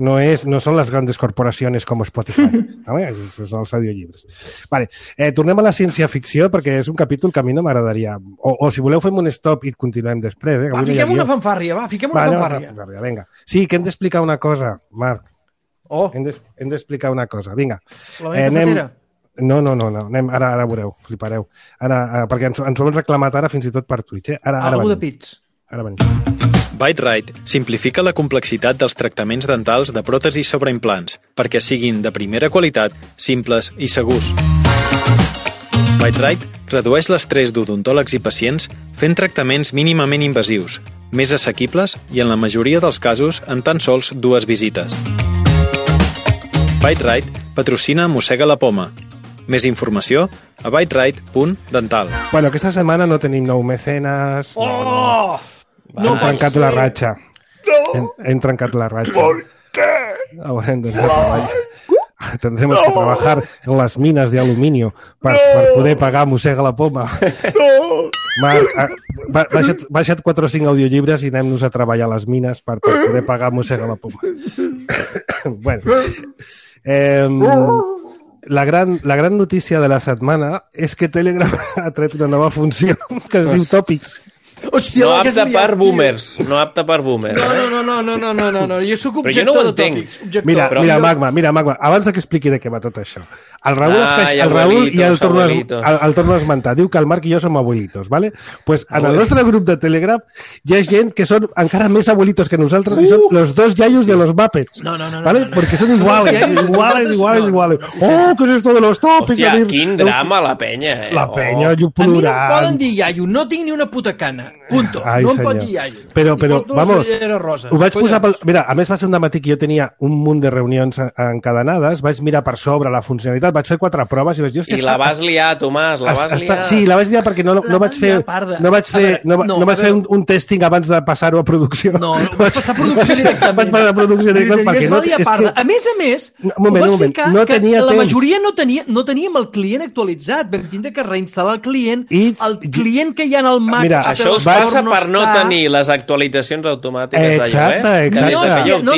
No són les grans corporacions com Spotify. Són els audiollibres. Vale. Tornem a la ciència-ficció perquè és un capítol que a mi no m'agradaria. O si voleu fem un stop i continuem després. Fiquem una fanfàrria, fiquem una fanfàrria. Vinga. Sí, que hem d'explicar una cosa, Marc. Hem d'explicar una cosa. Vinga. La meva cafetera? No. Ara veureu, flipareu. Perquè ens ho hem reclamat ara fins i tot per Twitch. Algú de pits. Ara venim. BiteRite simplifica la complexitat dels tractaments dentals de pròtesis sobre implants perquè siguin de primera qualitat, simples i segurs. BiteRite redueix l'estrès d'odontòlegs i pacients fent tractaments mínimament invasius, més assequibles i en la majoria dels casos en tan sols 2 visites. BiteRite patrocina Mossega la Poma. Més informació a biterite.dental. Bueno, aquesta setmana no tenim nou mecenes... Hem trencat la ratxa. Hem trencat la ratxa. ¿Por qué? Tendremos que trabajar en las minas de aluminio per poder pagar Mossega la Poma. Marc, baixa't 4 o 5 audiollibres i anem-nos a treballar a les mines per poder pagar Mossega la Poma. Bueno. La gran notícia de la setmana és que Telegram ha tret una nova funció que es diu Tòpics. Hòstia, no apta per boomers. No apta per boomers. No. Jo sóc objector de tòpics. Mira, Magma, abans que expliqui de què va tot això. El Raül i el torno a esmentar. Diu que el Marc i jo som abuelitos, ¿vale? Pues en el nostre grup de Telegram hi ha gent que són encara més abuelitos que nosaltres i són los 2 yayos de los Muppets. ¿Vale? Porque son iguales. Oh, ¿qué es esto de los tòpics? Hòstia, quin drama la penya, La penya, jo plorant. A mi no em poden dir iaio, no tinc ni una puta cana. Punto. No em pot dir iaio. Però, vamos, ho vaig posar... Mira, a més va ser un dematí que jo tenia un munt de reunions encadenades, vaig mirar per sobre la funcionalitat, vaig fer 4 proves i vaig dir... I la vas liar, Tomàs, la vas liar. Sí, la vaig liar perquè no vaig fer un testing abans de passar-ho a producció. No, vaig passar a producció directament. Vaig passar a producció directament perquè no... A més, ho vas ficar que la majoria no teníem el client actualitzat. Vam tindre que reinstal·lar el client que hi ha en el Mac. Això us passa per no tenir les actualitzacions automàtiques d'iOS. No,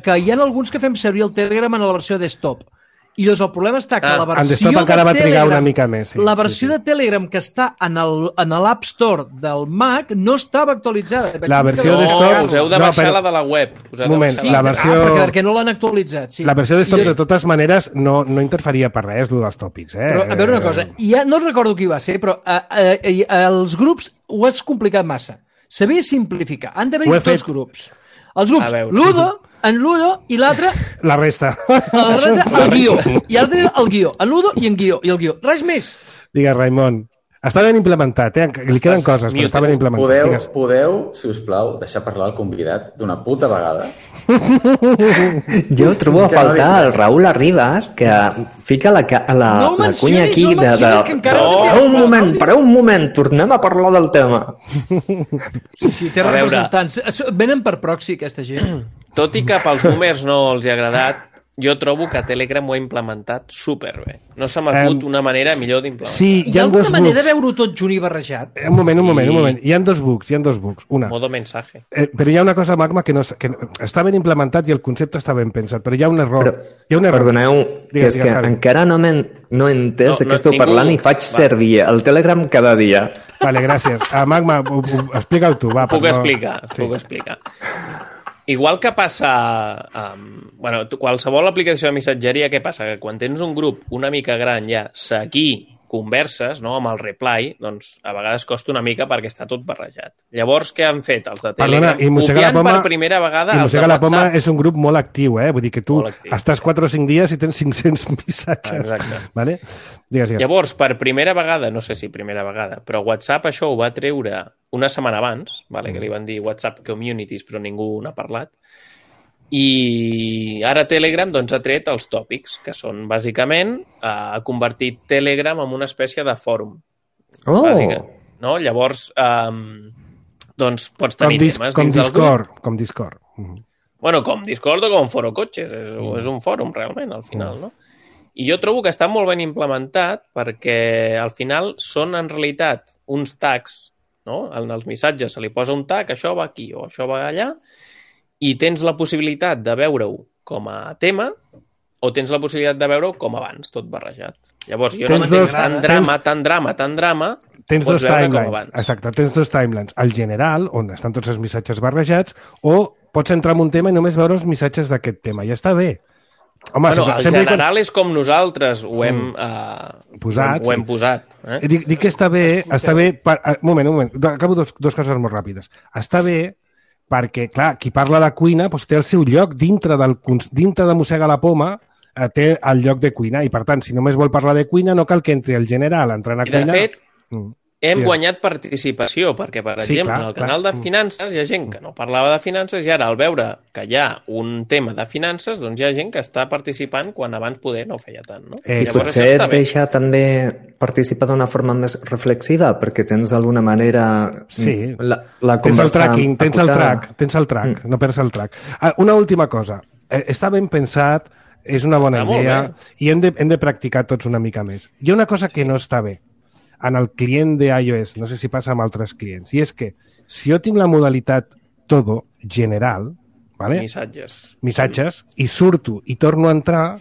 que hi ha alguns que fem servir el Telegram en la versió desktop. I doncs el problema està que la versió de encara va trigar una mica més. La versió de Telegram que està en l'App Store del Mac no estava actualitzada. La versió desktop... Us heu de baixar la de la web. Un moment, la versió... Perquè no l'han actualitzat. La versió desktop, de totes maneres, no interferia per res, el dels tòpics. Però, a veure una cosa, no recordo qui va ser, però els grups ho has complicat massa. S'havia de simplificar. Han d'haver-hi 2 grups. Els grups Ludo i l'altre... La resta. El guió. I l'altre el guió. El Ludo i el guió. Res més. Digues, Raimon. Està ben implementat, li queden coses, però està ben implementat. Podeu, si us plau, deixar parlar el convidat d'una puta vegada? Jo trobo a faltar el Raül Arribas, que fica la cunya aquí Pareu un moment, tornem a parlar del tema. Sí, té representants. Venen per proxy, aquesta gent. Tot i que pels boomers no els hi ha agradat, jo trobo que Telegram ho ha implementat superbé. No s'ha m'acut una manera millor d'implementar. Sí, hi ha alguna manera de veure-ho tot junt i barrejat? Un moment. Hi ha dos bugs. Una. Modo mensaje. Però hi ha una cosa, Magma, que està ben implementat i el concepte està ben pensat, però hi ha un error. Perdoneu, que és que encara no he entès de què esteu parlant i faig servir el Telegram cada dia. Vale, gràcies. Magma, explica-ho tu. Puc explicar. Igual que passa... qualsevol aplicació de missatgeria, què passa? Que quan tens un grup una mica gran ja, seguir converses, no?, amb el reply, doncs a vegades costa una mica perquè està tot barrejat. Llavors, què han fet els de Telegram? Copiant per primera vegada els de WhatsApp. la Poma és un grup molt actiu, Vull dir que tu estàs 4 o 5 dies i tens 500 missatges. Exacte. Vale? Digues. Llavors, per primera vegada, no sé si primera vegada, però WhatsApp això ho va treure una setmana abans, que li van dir WhatsApp Communities, però ningú n'ha parlat, i ara Telegram ha tret els tòpics, que són, bàsicament, ha convertit Telegram en una espècie de fòrum. No? Llavors, pots tenir temes dins del grup. Com Discord. Bueno, com Discord o com Foro Cotxes. És un fòrum, realment, al final, no? I jo trobo que està molt ben implementat perquè, al final, són, en realitat, uns tags, no? En els missatges se li posa un tag, això va aquí o això va allà, i tens la possibilitat de veure-ho com a tema o tens la possibilitat de veure-ho com abans, tot barrejat. Llavors, jo no m'entenc tan drama, tens dos timelines. Exacte, tens dos timelines. El general, on estan tots els missatges barrejats, o pots entrar en un tema i només veure els missatges d'aquest tema. Ja està bé. Home, el general és com nosaltres ho hem posat. Dic que està bé... Un moment. Acabo dos coses molt ràpides. Està bé perquè, clar, qui parla de cuina té el seu lloc dintre de Mossega la Poma, té el lloc de cuina, i per tant, si només vol parlar de cuina, no cal que entri el general entrant a cuina. De fet, hem guanyat participació, perquè, per exemple, en el canal de finances hi ha gent que no parlava de finances i ara, al veure que hi ha un tema de finances, doncs hi ha gent que està participant quan abans poder no feia tant, no? I potser et deixa també participar d'una forma més reflexiva, perquè tens d'alguna manera la conversa... Tens el track, no perds el track. Una última cosa. Està ben pensat, és una bona idea, i hem de practicar tots una mica més. Hi ha una cosa que no està bé en el client de iOS, no sé si passa amb altres clients, i és que si jo tinc la modalitat todo general, missatges, i surto i torno a entrar,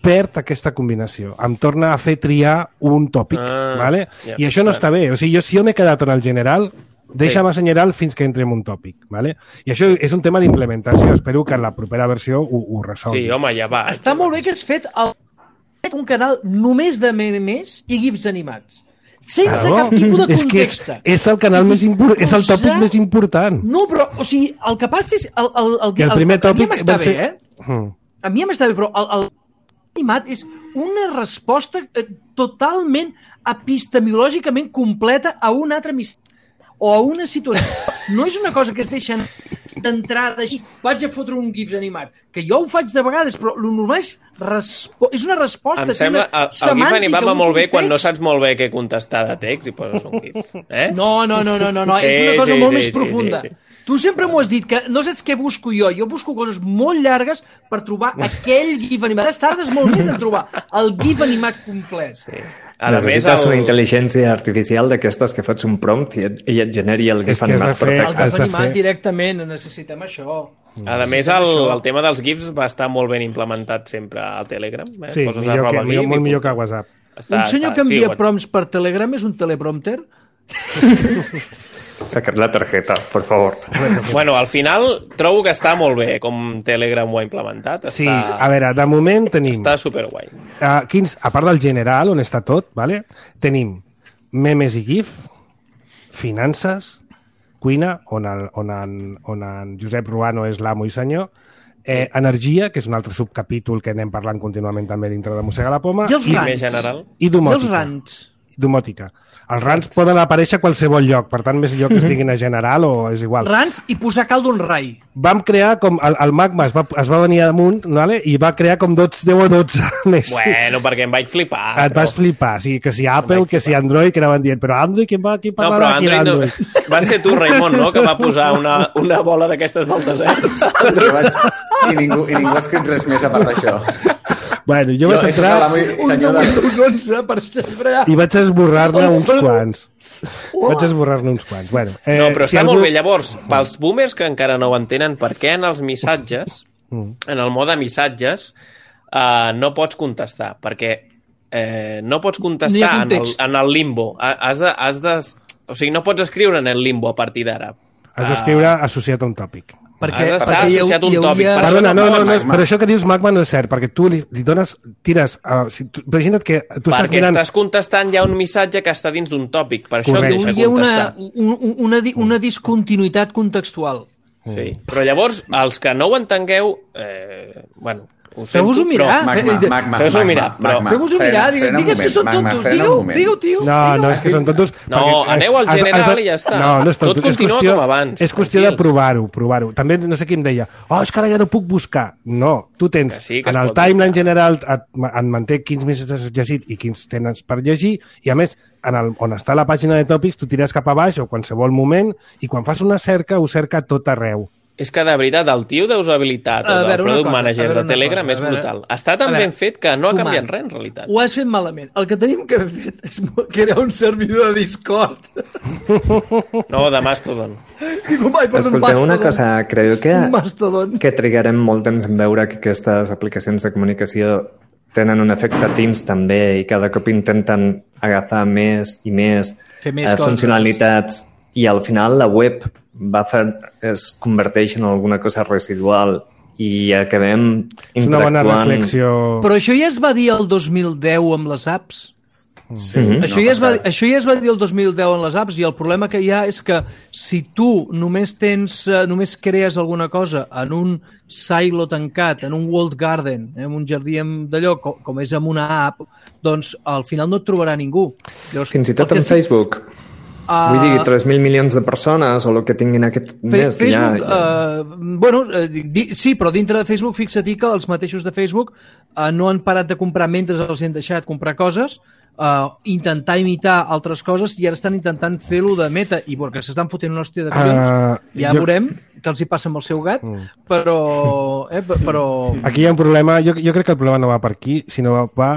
perd aquesta combinació. Em torna a fer triar un tòpic. I això no està bé. O sigui, si jo m'he quedat en el general, deixa'm a general fins que entri en un tòpic. I això és un tema d'implementació. Espero que en la propera versió ho resolgui. Sí, home, ja va. Està molt bé que has fet un canal només de memes i gifs animats. Sense cap tipus de context. És el canal més important, és el tòpic més important. No, però, o sigui, el que passa és... el primer tòpic va ser... A mi m'està bé, però el animat és una resposta totalment epistemològicament completa a un altre missatge o a una situació. No és una cosa que es deixen d'entrada així, vaig a fotre un gif animat, que jo ho faig de vegades, però el normal és una resposta. Em sembla, el gif animat va molt bé quan no saps molt bé què contestar de text i poses un gif. No, és una cosa molt més profunda. Tu sempre m'ho has dit, que no saps què busco jo busco coses molt llargues per trobar aquell gif animat. Tardes molt més en trobar el gif animat complet. Sí. Necessites una intel·ligència artificial d'aquestes que fots un prompt i et generi el GIF animat perfecte. El GIF animat directament, necessitem això. A més, el tema dels GIFs va estar molt ben implementat sempre al Telegram. Sí, molt millor que a WhatsApp. Un senyor que envia prompts per Telegram és un teleprompter? Saca't la targeta, por favor. Bueno, al final trobo que està molt bé com Telegram ho ha implementat. Sí, a veure, de moment tenim... Està superguai. A part del general, on està tot, tenim memes i GIF, finances, cuina, on en Josep Ruano és l'amo i senyor, energia, que és un altre subcapítol que anem parlant contínuament també dintre de Mossega la Poma, i els rants. I domòtica. domòtica. Els rants poden aparèixer a qualsevol lloc, per tant, més lloc que estiguin a general o és igual. Rants i posar caldo en rai. Vam crear com... El Magma es va venir damunt, vale? I va crear com 10 o 12 més. Bueno, perquè em vaig flipar. Et vas flipar, sí, que si Apple, que si Android, que anaven dient, però Android, qui parlarà? No, però Android no... Va ser tu, Raimon, no?, que va posar una bola d'aquestes del desert. I ningú ha escrit res més a part d'això. Bueno, jo vaig entrar... I vaig esborrar-ne uns quants. Bueno, no, però està molt bé. Llavors, pels boomers que encara no ho entenen, per què en els missatges, en el mode missatges, no pots contestar? Perquè no pots contestar en el limbo. O sigui, no pots escriure en el limbo a partir d'ara. Has d'escriure associat a un tòpic. Perquè associat a un tòpic. Perdona, no, però això que dius Magma no és cert, perquè tu li dones, tires... Imagina't que tu estàs mirant... Perquè estàs contestant ja un missatge que està dins d'un tòpic, per això et deixa contestar. Una discontinuïtat contextual. Sí, però llavors, els que no ho entengueu, bueno... Feu-vos-ho mirar. Feu-vos-ho mirar. Feu-vos-ho mirar. Digues que són tontos. Digue-ho, tio. No, és que són tontos. No, aneu al general i ja està. No és tonto. Tot continua com abans. És qüestió de provar-ho. També, no sé qui em deia, és que ara ja no puc buscar. No, tu tens, en el timeline general et manté quins missatges has llegit i quins tens per llegir, i a més, on està la pàgina de tòpics, tu tires cap a baix o qualsevol moment, i quan fas una cerca, ho cerca tot arreu. És que, de veritat, el tio d'usabilitat o del Product Manager de Telegram és brutal. Està tan ben fet que no ha canviat res, en realitat. Ho has fet malament. El que tenim que haver fet és crear un servidor de Discord. No, de Mastodon. Escolteu una cosa, creu que trigarem molt temps en veure que aquestes aplicacions de comunicació tenen un efecte Teams també i cada cop intenten agafar més i més funcionalitats i al final la web es converteix en alguna cosa residual i acabem interactuant... És una bona reflexió. Però això ja es va dir el 2010 amb les apps. Sí, això ja es va dir el 2010 en les apps i el problema que hi ha és que si tu només crees alguna cosa en un silo tancat, en un walled garden, en un jardí d'allò, com és en una app, doncs al final no et trobarà ningú. Fins i tot en Facebook. Vull dir, 3.000 milions de persones o el que tinguin aquest mes. Sí, però dintre de Facebook, fixa-t'hi que els mateixos de Facebook no han parat de comprar mentre els han deixat comprar coses, intentar imitar altres coses i ara estan intentant fer-lo de meta i perquè s'estan fotent una hòstia de collons. Veurem que els hi passa amb el seu gat, però... Aquí hi ha un problema, jo crec que el problema no va per aquí, sinó va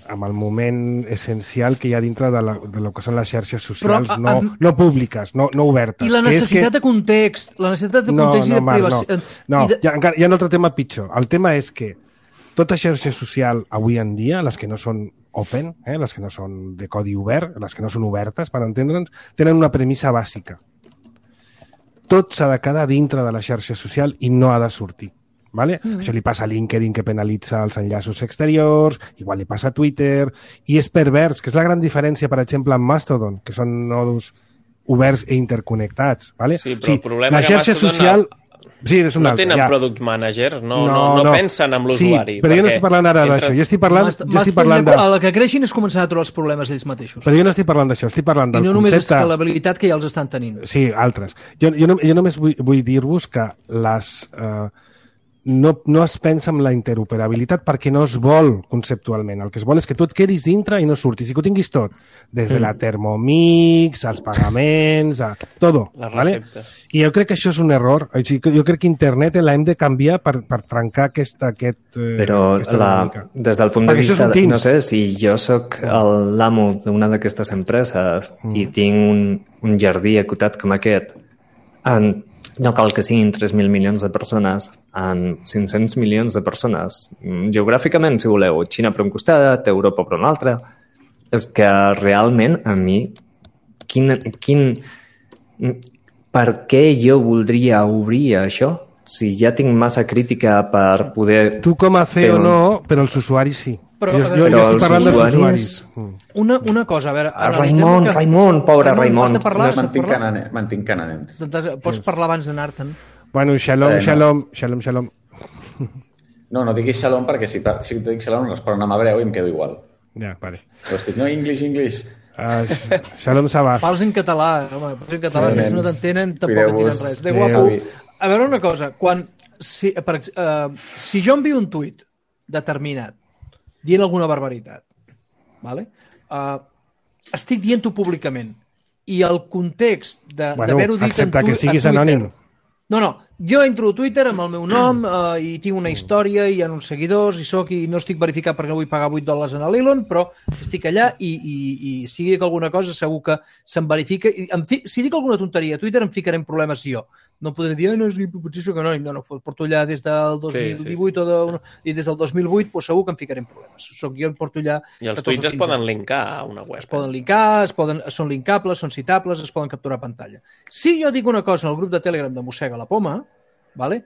amb el moment essencial que hi ha dintre de lo que són les xarxes socials, no públiques, no obertes. I la necessitat de context, i de privacitat. No, hi ha un altre tema pitjor. El tema és que tota xarxa social avui en dia, les que no són open, les que no són de codi obert, les que no són obertes, per entendre'ns, tenen una premissa bàsica. Tot s'ha de quedar dintre de la xarxa social i no ha de sortir. Vale? Això li passa a LinkedIn, que penalitza els enllaços exteriors, igual li passa a Twitter, i és pervers, que és la gran diferència, per exemple, amb Mastodon, que són nodos oberts i interconnectats. Vale? Sí, però el problema és que Mastodon social... no tenen product managers, no pensen en l'usuari. Sí, però jo no estic parlant ara d'això. Jo estic parlant de... El que creixin és començar a trobar els problemes ells mateixos. Però jo no estic parlant d'això, estic parlant del concepte... I no només escalabilitat que ja els estan tenint. Sí, altres. Jo només vull dir-vos que les... No es pensa en la interoperabilitat perquè no es vol conceptualment. El que es vol és que tu et quedis dintre i no surtis, i que ho tinguis tot. Des de la Thermomix, als pagaments, a tot. Les receptes. Vale? I jo crec que això és un error. Jo crec que internet l'hem de canviar per trencar aquesta dinàmica. Des del punt de vista, no sé, si jo sóc l'amo d'una d'aquestes empreses i tinc un jardí acotat com aquest, no cal que siguin 3.000 milions de persones, en 500 milions de persones. Geogràficament, si voleu, Xina per un costat, Europa per un altre. És que realment, a mi, per què jo voldria obrir això? Si ja tinc massa crítica per poder... Tu com a CEO no, però els usuaris sí. Però jo estic parlant dels usuaris. Una cosa, a veure... Raimon, pobre Raimon. Mantinc cananents. Pots parlar abans d'anar-te'n? Bueno, shalom. No diguis shalom perquè si dic shalom responen amb hebreu i em quedo igual. Ja, vale. Però estic, no, English. Shalom Sabah. Parles en català, home. Parles en català, si no t'entenen, tampoc entenen res. De guapo. A veure una cosa, si jo envio un tuit determinat dient alguna barbaritat, vale? Estic dient-ho públicament i el context d'haver-ho dit excepte que siguis anònim. No, jo entro a Twitter amb el meu nom i tinc una història i hi ha uns seguidors i no estic verificat perquè no vull pagar $8 a l'Elon, però estic allà i si dic alguna cosa segur que se'm verifica. Si dic alguna tonteria a Twitter em ficaré en problemes jo. No podré dir, potser soc anònim. No, porto allà des del 2018 i des del 2008 doncs segur que em ficaré en problemes. Soc jo, em porto allà... I els tuits es poden linkar a una web. Es poden linkar, són linkables, són citables, es poden capturar a pantalla. Si jo dic una cosa en el grup de Telegram de Mossega la Poma, vale?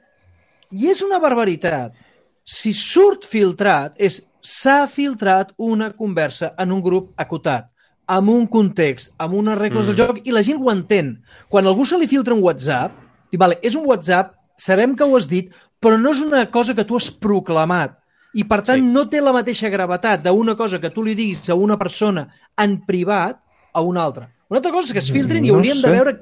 I és una barbaritat, si surt filtrat, s'ha filtrat una conversa en un grup acotat, amb un context, amb unes regles del joc, i la gent ho entén. Quan algú se li filtra un WhatsApp, diu, vale, és un WhatsApp, sabem que ho has dit, però no és una cosa que tu has proclamat. I, per tant, no té la mateixa gravetat d'una cosa que tu li diguis a una persona en privat a una altra. Una altra cosa és que es filtrin i hauríem de veure...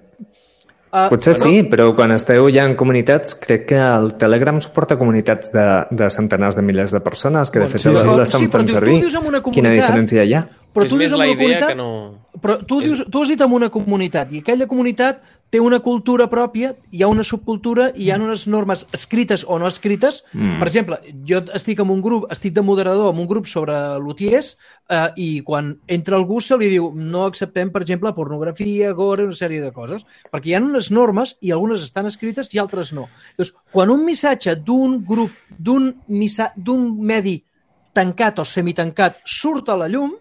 Potser sí, però quan esteu ja en comunitats, crec que el Telegram suporta comunitats de centenars de milers de persones que de fet l'estan fent servir. Quina diferència hi ha? Però és més la idea que no... Però tu has dit en una comunitat i aquella comunitat té una cultura pròpia, hi ha una subcultura, hi ha unes normes escrites o no escrites. Per exemple, jo estic de moderador en un grup sobre lutiers i quan entra algú se li diu no acceptem, per exemple, pornografia, gore, una sèrie de coses, perquè hi ha unes normes i algunes estan escrites i altres no. Llavors, quan un missatge d'un grup, d'un medi tancat o semitancat surt a la llum,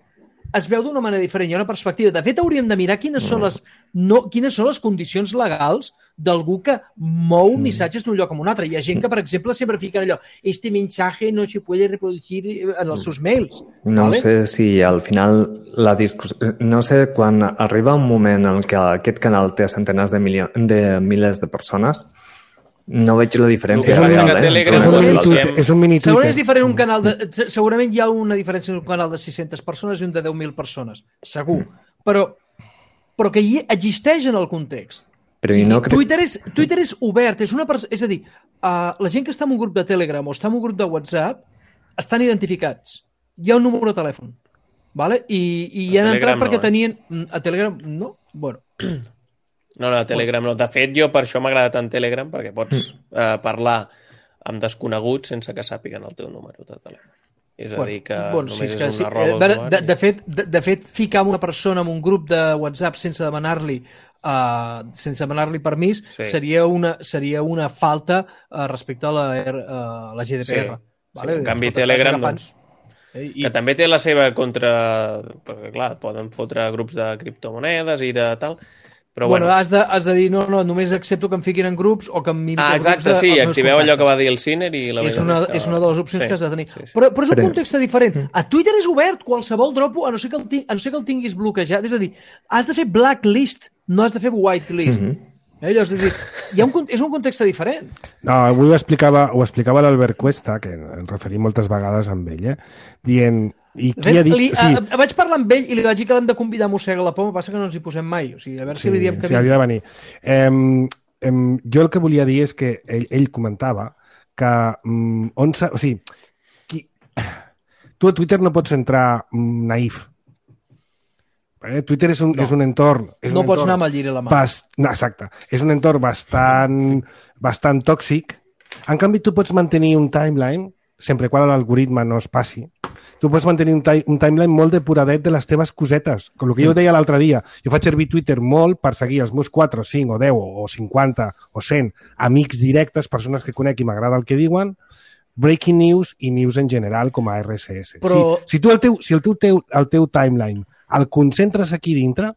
es veu d'una manera diferent, hi ha una perspectiva. De fet, hauríem de mirar quines són les condicions legals d'algú que mou missatges d'un lloc a un altre. Hi ha gent que, per exemple, sempre fica allò este mensaje no se puede reproducir en els seus mails. No sé si al final la discussió... No sé, quan arriba un moment en què aquest canal té centenars de milers de persones, no veig la diferència. És un mini Twitter. Segurament hi ha una diferència entre un canal de 600 persones i un de 10.000 persones, segur. Però que hi existeix en el context. Twitter és obert. És a dir, la gent que està en un grup de Telegram o està en un grup de WhatsApp estan identificats. Hi ha un número de telèfon. I hi han entrat perquè tenien... A Telegram, no? Bueno... No, a Telegram no. De fet, jo per això m'agrada tant Telegram, perquè pots parlar amb desconeguts sense que sàpiguen el teu número de telèfon. És a dir, que només és una roba d'usuari. De fet, ficar una persona en un grup de WhatsApp sense demanar-li permís seria una falta respecte a la GDPR. En canvi, Telegram, doncs, que també té la seva contra... Perquè, clar, poden fotre grups de criptomonedes i de tal... Però, has de dir, no, només accepto que em fiquin en grups o que em mirin grups exacte, sí, activeu allò que va dir el Sinner i la és una de les opcions que has de tenir. Però és un context diferent. A Twitter és obert, qualsevol dropo, a no ser que el tinguis bloquejat. És a dir, has de fer blacklist, no has de fer whitelist. És a dir, és un context diferent. No, avui ho explicava l'Albert Cuesta, que ens referim moltes vegades amb ell, dient... Vaig parlar amb ell i li vaig dir que l'hem de convidar a Mossega la Poma, passa que no ens hi posem mai, o sigui, a veure si li diem que havia de venir. Jo el que volia dir és que ell comentava que tu a Twitter no pots entrar naïf. Twitter és un entorn... No pots anar amb el lliri a la mà. Exacte. És un entorn bastant tòxic. En canvi, tu pots mantenir un timeline, sempre quan l'algoritme no es passi. Tu pots mantenir un timeline molt depuradet de les teves cosetes. Com el que jo deia l'altre dia. Jo faig servir Twitter molt per seguir els meus 4, 5, o 10, o 50, o 100 amics directes, persones que conec i m'agrada el que diuen, breaking news i news en general com a RSS. Però... Si el teu timeline el concentres aquí dintre,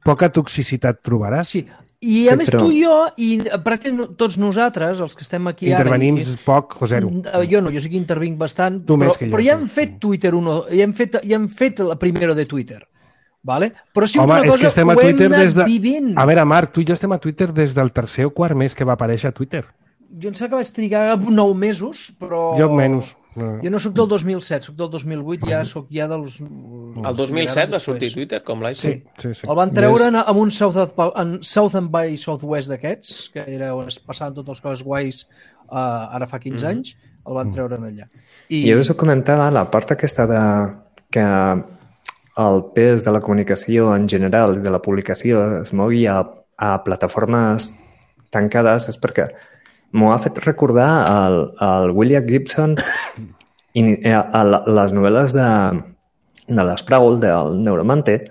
poca toxicitat trobaràs. Sí. I a més tu i jo, i pràcticament tots nosaltres, els que estem aquí ara... Intervenim poc o zero. Jo no, jo sí que intervinc bastant, però ja hem fet Twitter ja hem fet la primera de Twitter. Vale? Però si una cosa ho hem anat vivint. A veure, Marc, tu i jo estem a Twitter des del tercer o quart mes que va aparèixer a Twitter. Jo em sembla que vaig trigar 9 mesos, però... Jo menys. Jo no soc del 2007, soc del 2008, soc ja dels... El 2007 va sortir Twitter, com l'ICO? Sí. El van treure amb un Southern by Southwest d'aquests, que era on es passaven totes les coses guais ara fa 15 anys, el van treure allà. Jo us ho comentava, la part aquesta de que el pes de la comunicació en general i de la publicació es mogui a plataformes tancades és perquè m'ho ha fet recordar el William Gibson i les novel·les de l'Sproul, del Neuromante.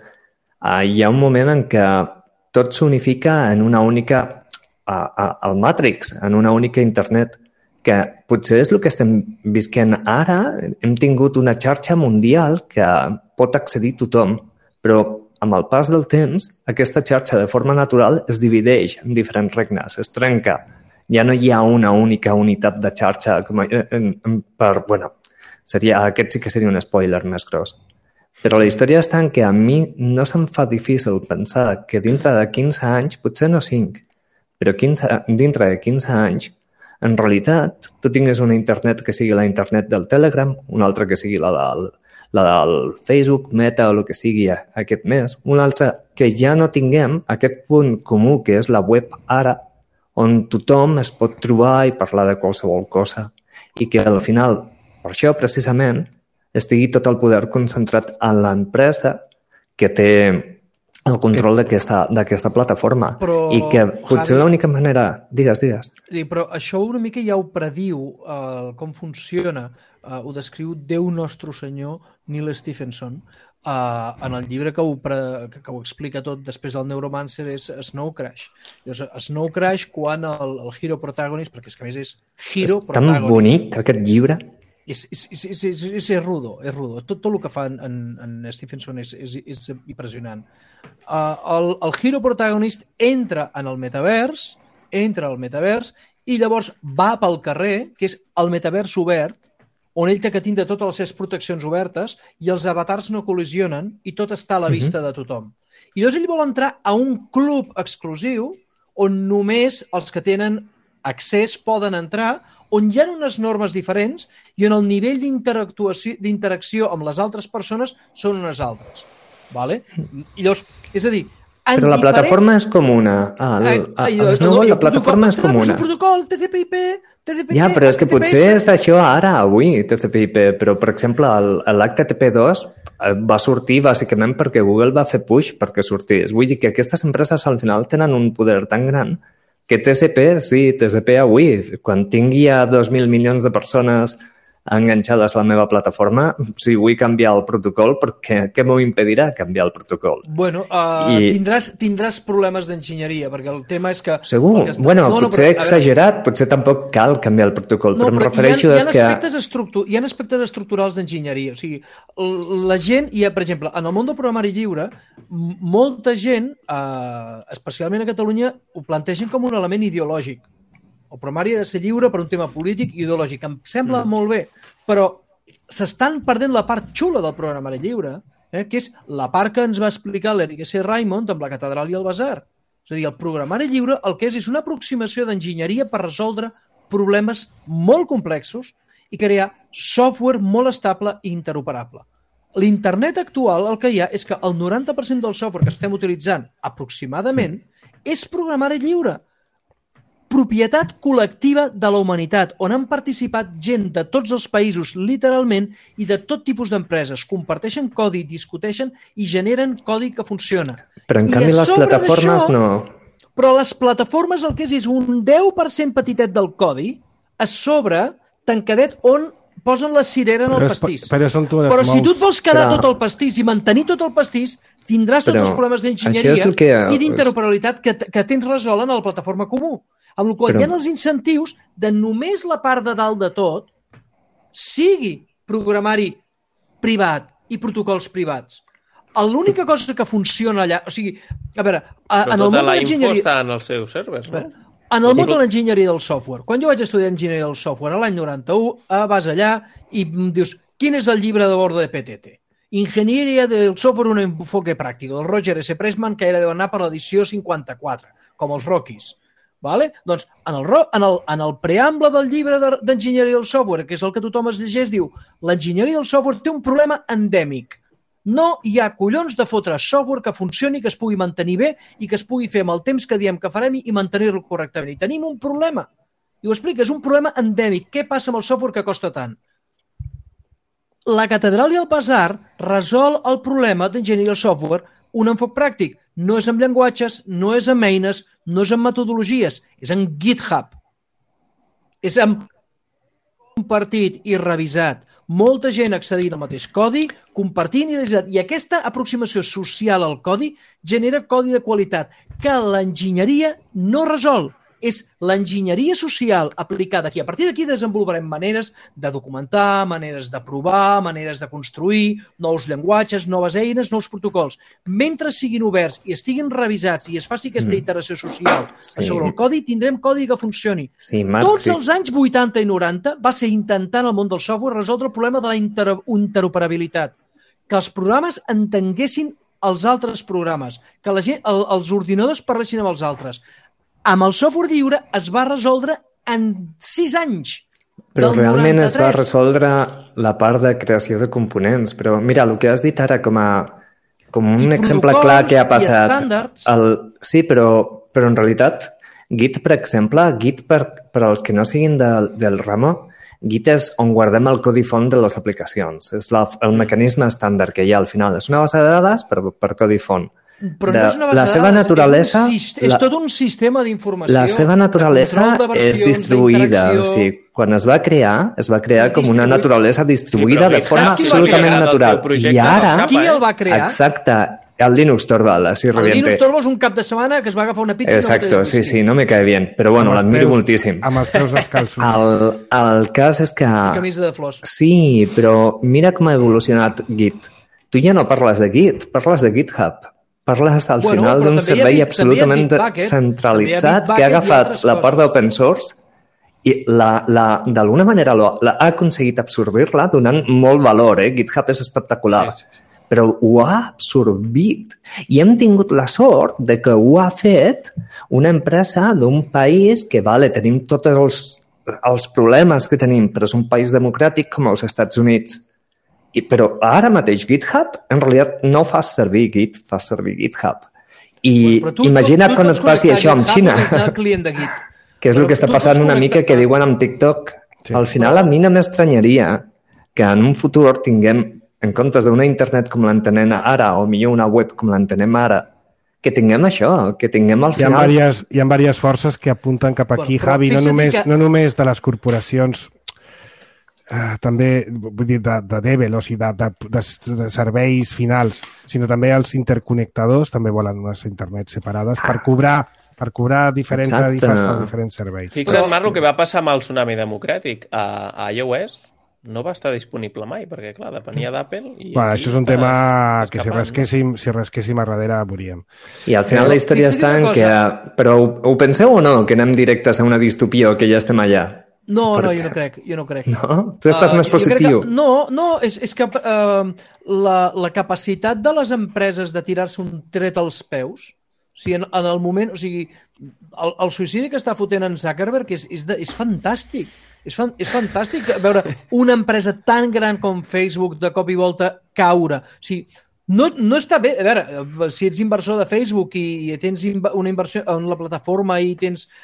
Hi ha un moment en què tot s'unifica en una única al Matrix, en una única internet, que potser és el que estem visquent ara. Hem tingut una xarxa mundial que pot accedir tothom, però amb el pas del temps aquesta xarxa de forma natural es divideix en diferents regnes, es trenca. Ja no hi ha una única unitat de xarxa aquest sí que seria un spoiler més gros. Però la història està en que a mi no se'm fa difícil pensar que dintre de 15 anys, potser no 5, però dintre de 15 anys, en realitat, tu tingues una internet que sigui la internet del Telegram, una altra que sigui la del Facebook, Meta o el que sigui aquest mes, una altra que ja no tinguem aquest punt comú que és la web ara, on tothom es pot trobar i parlar de qualsevol cosa i que al final, per això precisament, estigui tot el poder concentrat en l'empresa que té el control d'aquesta plataforma. I que potser l'única manera... Digues. Però això una mica ja ho prediu com funciona, ho descriu Déu Nostre Senyor Neil Stephenson en el llibre que ho explica tot després del Neuromancer, és Snow Crash. Snow Crash, quan el hero protagonist, perquè és que a més és hero protagonist... És tan bonic aquest llibre. És rudo. Tot el que fa en Stephenson és impressionant. El hero protagonist entra en el metavers i llavors va pel carrer, que és el metavers obert, on ell té que tindre totes les seves proteccions obertes i els avatars no col·lisionen i tot està a la vista de tothom. I llavors ell vol entrar a un club exclusiu on només els que tenen accés poden entrar, on hi ha unes normes diferents i on el nivell d'interacció amb les altres persones són unes altres. Vale? I llavors, és a dir, però la plataforma és comuna. La plataforma és comuna. Un protocol, TCP/IP... Ja, però és que potser és això ara, avui, TCP/IP, però, per exemple, l'HTTP2 va sortir bàsicament perquè Google va fer push perquè sortís. Vull dir que aquestes empreses al final tenen un poder tan gran que TCP avui, quan tingui a 2.000 milions de persones enganxades a la meva plataforma, si vull canviar el protocol, què m'ho impedirà canviar el protocol? Bueno, tindràs problemes d'enginyeria, perquè el tema és que... Segur? Potser he exagerat, potser tampoc cal canviar el protocol, però em refereixo a que... Hi ha aspectes estructurals d'enginyeria, o sigui, la gent, per exemple, en el món del programari lliure, molta gent, especialment a Catalunya, ho plantegen com un element ideològic. El programari ha de ser lliure per un tema polític i ideològic. Em sembla molt bé, però s'estan perdent la part xula del programari lliure, que és la part que ens va explicar l'Eric S. Raymond amb la catedral i el basar. És a dir, el programari lliure el que és una aproximació d'enginyeria per resoldre problemes molt complexos i crear software molt estable i interoperable. L'internet actual el que hi ha és que el 90% del software que estem utilitzant aproximadament és programari lliure. Propietat col·lectiva de la humanitat, on han participat gent de tots els països, literalment, i de tot tipus d'empreses. Comparteixen codi, discuteixen i generen codi que funciona. Però en canvi les plataformes no. Però les plataformes el que és un 10% petitet del codi a sobre tancadet on posen la cirera en el pastís. Però si tu et vols quedar tot el pastís i mantenir tot el pastís, tindràs tots els problemes d'enginyeria i d'interoperabilitat que tens resolt en la plataforma comú. Amb la qual hi ha els incentius de només la part de dalt de tot sigui programari privat i protocols privats. L'única cosa que funciona allà... O sigui, a veure... Però tota la info està en els seus servers, no? En el món de l'enginyeria del software, quan jo vaig estudiar enginyeria del software l'any 91, vas allà i em dius, quin és el llibre de bordo de PTT? Ingenieria del software, un enfoque pràctic, del Roger S. Pressman, que era deu anar per l'edició 54, com els Rockies. Vale? Doncs en el preamble del llibre d'enginyeria del software, que és el que tothom es llegeix, diu l'enginyeria del software té un problema endèmic. No hi ha collons de fotre software que funcioni, que es pugui mantenir bé i que es pugui fer amb el temps que diem que farem i mantenir-lo correctament. I tenim un problema. I ho explica, és un problema endèmic. Què passa amb el software que costa tant? La catedral i el basar resol el problema d'enginyeria del software un enfoc pràctic. No és amb llenguatges, no és amb eines, no és amb metodologies, és en GitHub. És amb compartit i revisat. Molta gent accedint al mateix codi, compartint i revisat. I aquesta aproximació social al codi genera codi de qualitat que l'enginyeria no resol. És l'enginyeria social aplicada aquí. A partir d'aquí desenvoluparem maneres de documentar, maneres de provar, maneres de construir, nous llenguatges, noves eines, nous protocols. Mentre siguin oberts i estiguin revisats i es faci aquesta iteració social sobre el codi, tindrem codi que funcioni. Tots els anys 80 i 90 va ser intentant el món del software resoldre el problema de la interoperabilitat. Que els programes entenguessin els altres programes, que els ordinadors parlessin amb els altres. Amb el software lliure es va resoldre en 6 anys. Però realment es va resoldre la part de creació de components. Però mira, el que has dit ara com un exemple clar que ha passat... Sí, però en realitat, Git, per exemple, Git per als que no siguin del ramo, Git és on guardem el codi font de les aplicacions. És el mecanisme estàndard que hi ha al final. És una base de dades per codi font. Però no és una base de dades, és tot un sistema d'informació. La seva naturalesa és distribuïda. O sigui, quan es va crear com una naturalesa distribuïda de forma absolutament natural. I ara... Qui el va crear? Exacte. El Linux Torvald, així reviente. El Linux Torvald és un cap de setmana que es va agafar una pizza... Exacto, sí, no me cae bien. Però bueno, l'admiro moltíssim. Amb els peus descalços. El cas és que... Camisa de flors. Sí, però mira com ha evolucionat Git. Tu ja no parles de Git, parles de GitHub. Parles al final d'un servei absolutament centralitzat que ha agafat la part d'open source i d'alguna manera ha aconseguit absorbir-la donant molt valor. GitHub és espectacular. Però ho ha absorbit. I hem tingut la sort de que ho ha fet una empresa d'un país que, tenim tots els problemes que tenim, però és un país democràtic com els Estats Units. Però ara mateix GitHub, en realitat, no fas servir Git, fas servir GitHub. I imagina't quan et passi això amb Xina. Que és el que està passant una mica que diuen amb TikTok. Al final, a mi no m'estranyaria que en un futur tinguem, en comptes d'una internet com l'entenem ara, o millor una web com l'entenem ara, que tinguem això, que tinguem al final... Hi ha diverses forces que apunten cap aquí, Javi, no només de les corporacions, també vull dir de Devel, o sigui, de serveis finals, sinó també els interconnectadors també volen unes internets separades per cobrar diferents tarifes per diferents serveis. Fixa't, Marc, el que va passar amb el tsunami democràtic a iOS no va estar disponible mai, perquè, clar, depenia d'Apple. Això és un tema que si rasquéssim a darrere moríem. I al final la història està en que... Però ho penseu o no, que anem directes a una distopia o que ja estem allà? No, jo no crec. No? Tu estàs més positiu. És que la capacitat de les empreses de tirar-se un tret als peus, o sigui, en el moment... O sigui, el suïcidi que està fotent en Zuckerberg és fantàstic. És fantàstic veure una empresa tan gran com Facebook de cop i volta caure. O sigui, no està bé. A veure, si ets inversor de Facebook i tens una inversió en la plataforma i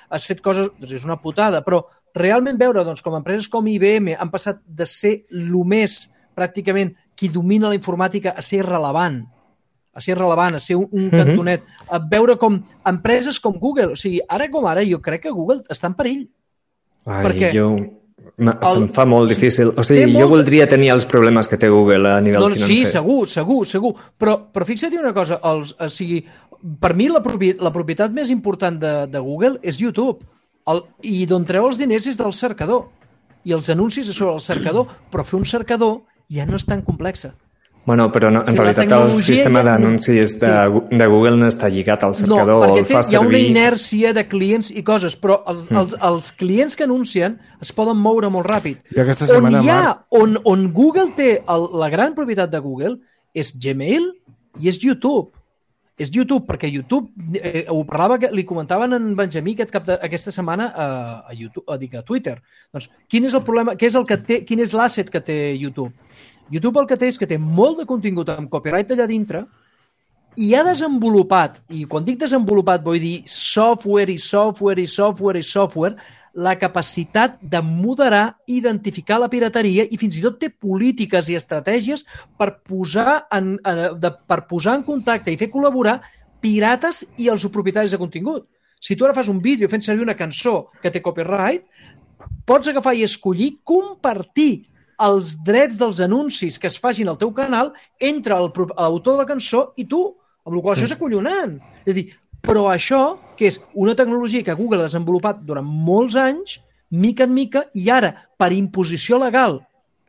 has fet coses, doncs és una putada, però realment veure com empreses com IBM han passat de ser més pràcticament qui domina la informàtica a ser rellevant, a ser un cantonet, a veure com empreses com Google, o sigui, ara com ara jo crec que Google està en perill. Se'm fa molt difícil. O sigui, jo voldria tenir els problemes que té Google a nivell financer. Sí, segur. Però fixa't una cosa, per mi la propietat més important de Google és YouTube. I d'on treu els diners és del cercador. I els anuncis és sobre el cercador, però fer un cercador ja no és tan complexa. Bueno, però no, en realitat el sistema d'anuncis de Google no està lligat al cercador. No, perquè hi ha una inèrcia de clients i coses, però els clients que anuncien es poden moure molt ràpid. On Google té la gran propietat de Google és Gmail i és YouTube. és YouTube, perquè YouTube, ho parlava, li comentaven en Benjamí aquesta setmana a Twitter. Doncs, quin és el problema, quin és l'asset que té YouTube? YouTube el que té és que té molt de contingut amb copyright allà dintre i ha desenvolupat, i quan dic desenvolupat vull dir software, la capacitat de moderar, identificar la pirateria i fins i tot té polítiques i estratègies per posar en contacte i fer col·laborar pirates i els propietaris de contingut. Si tu ara fas un vídeo fent servir una cançó que té copyright, pots agafar i escollir compartir els drets dels anuncis que es facin al teu canal entre l'autor de la cançó i tu, amb la qual cosa això és acollonant. És a dir, però això, que és una tecnologia que Google ha desenvolupat durant molts anys, mica en mica, i ara, per imposició legal,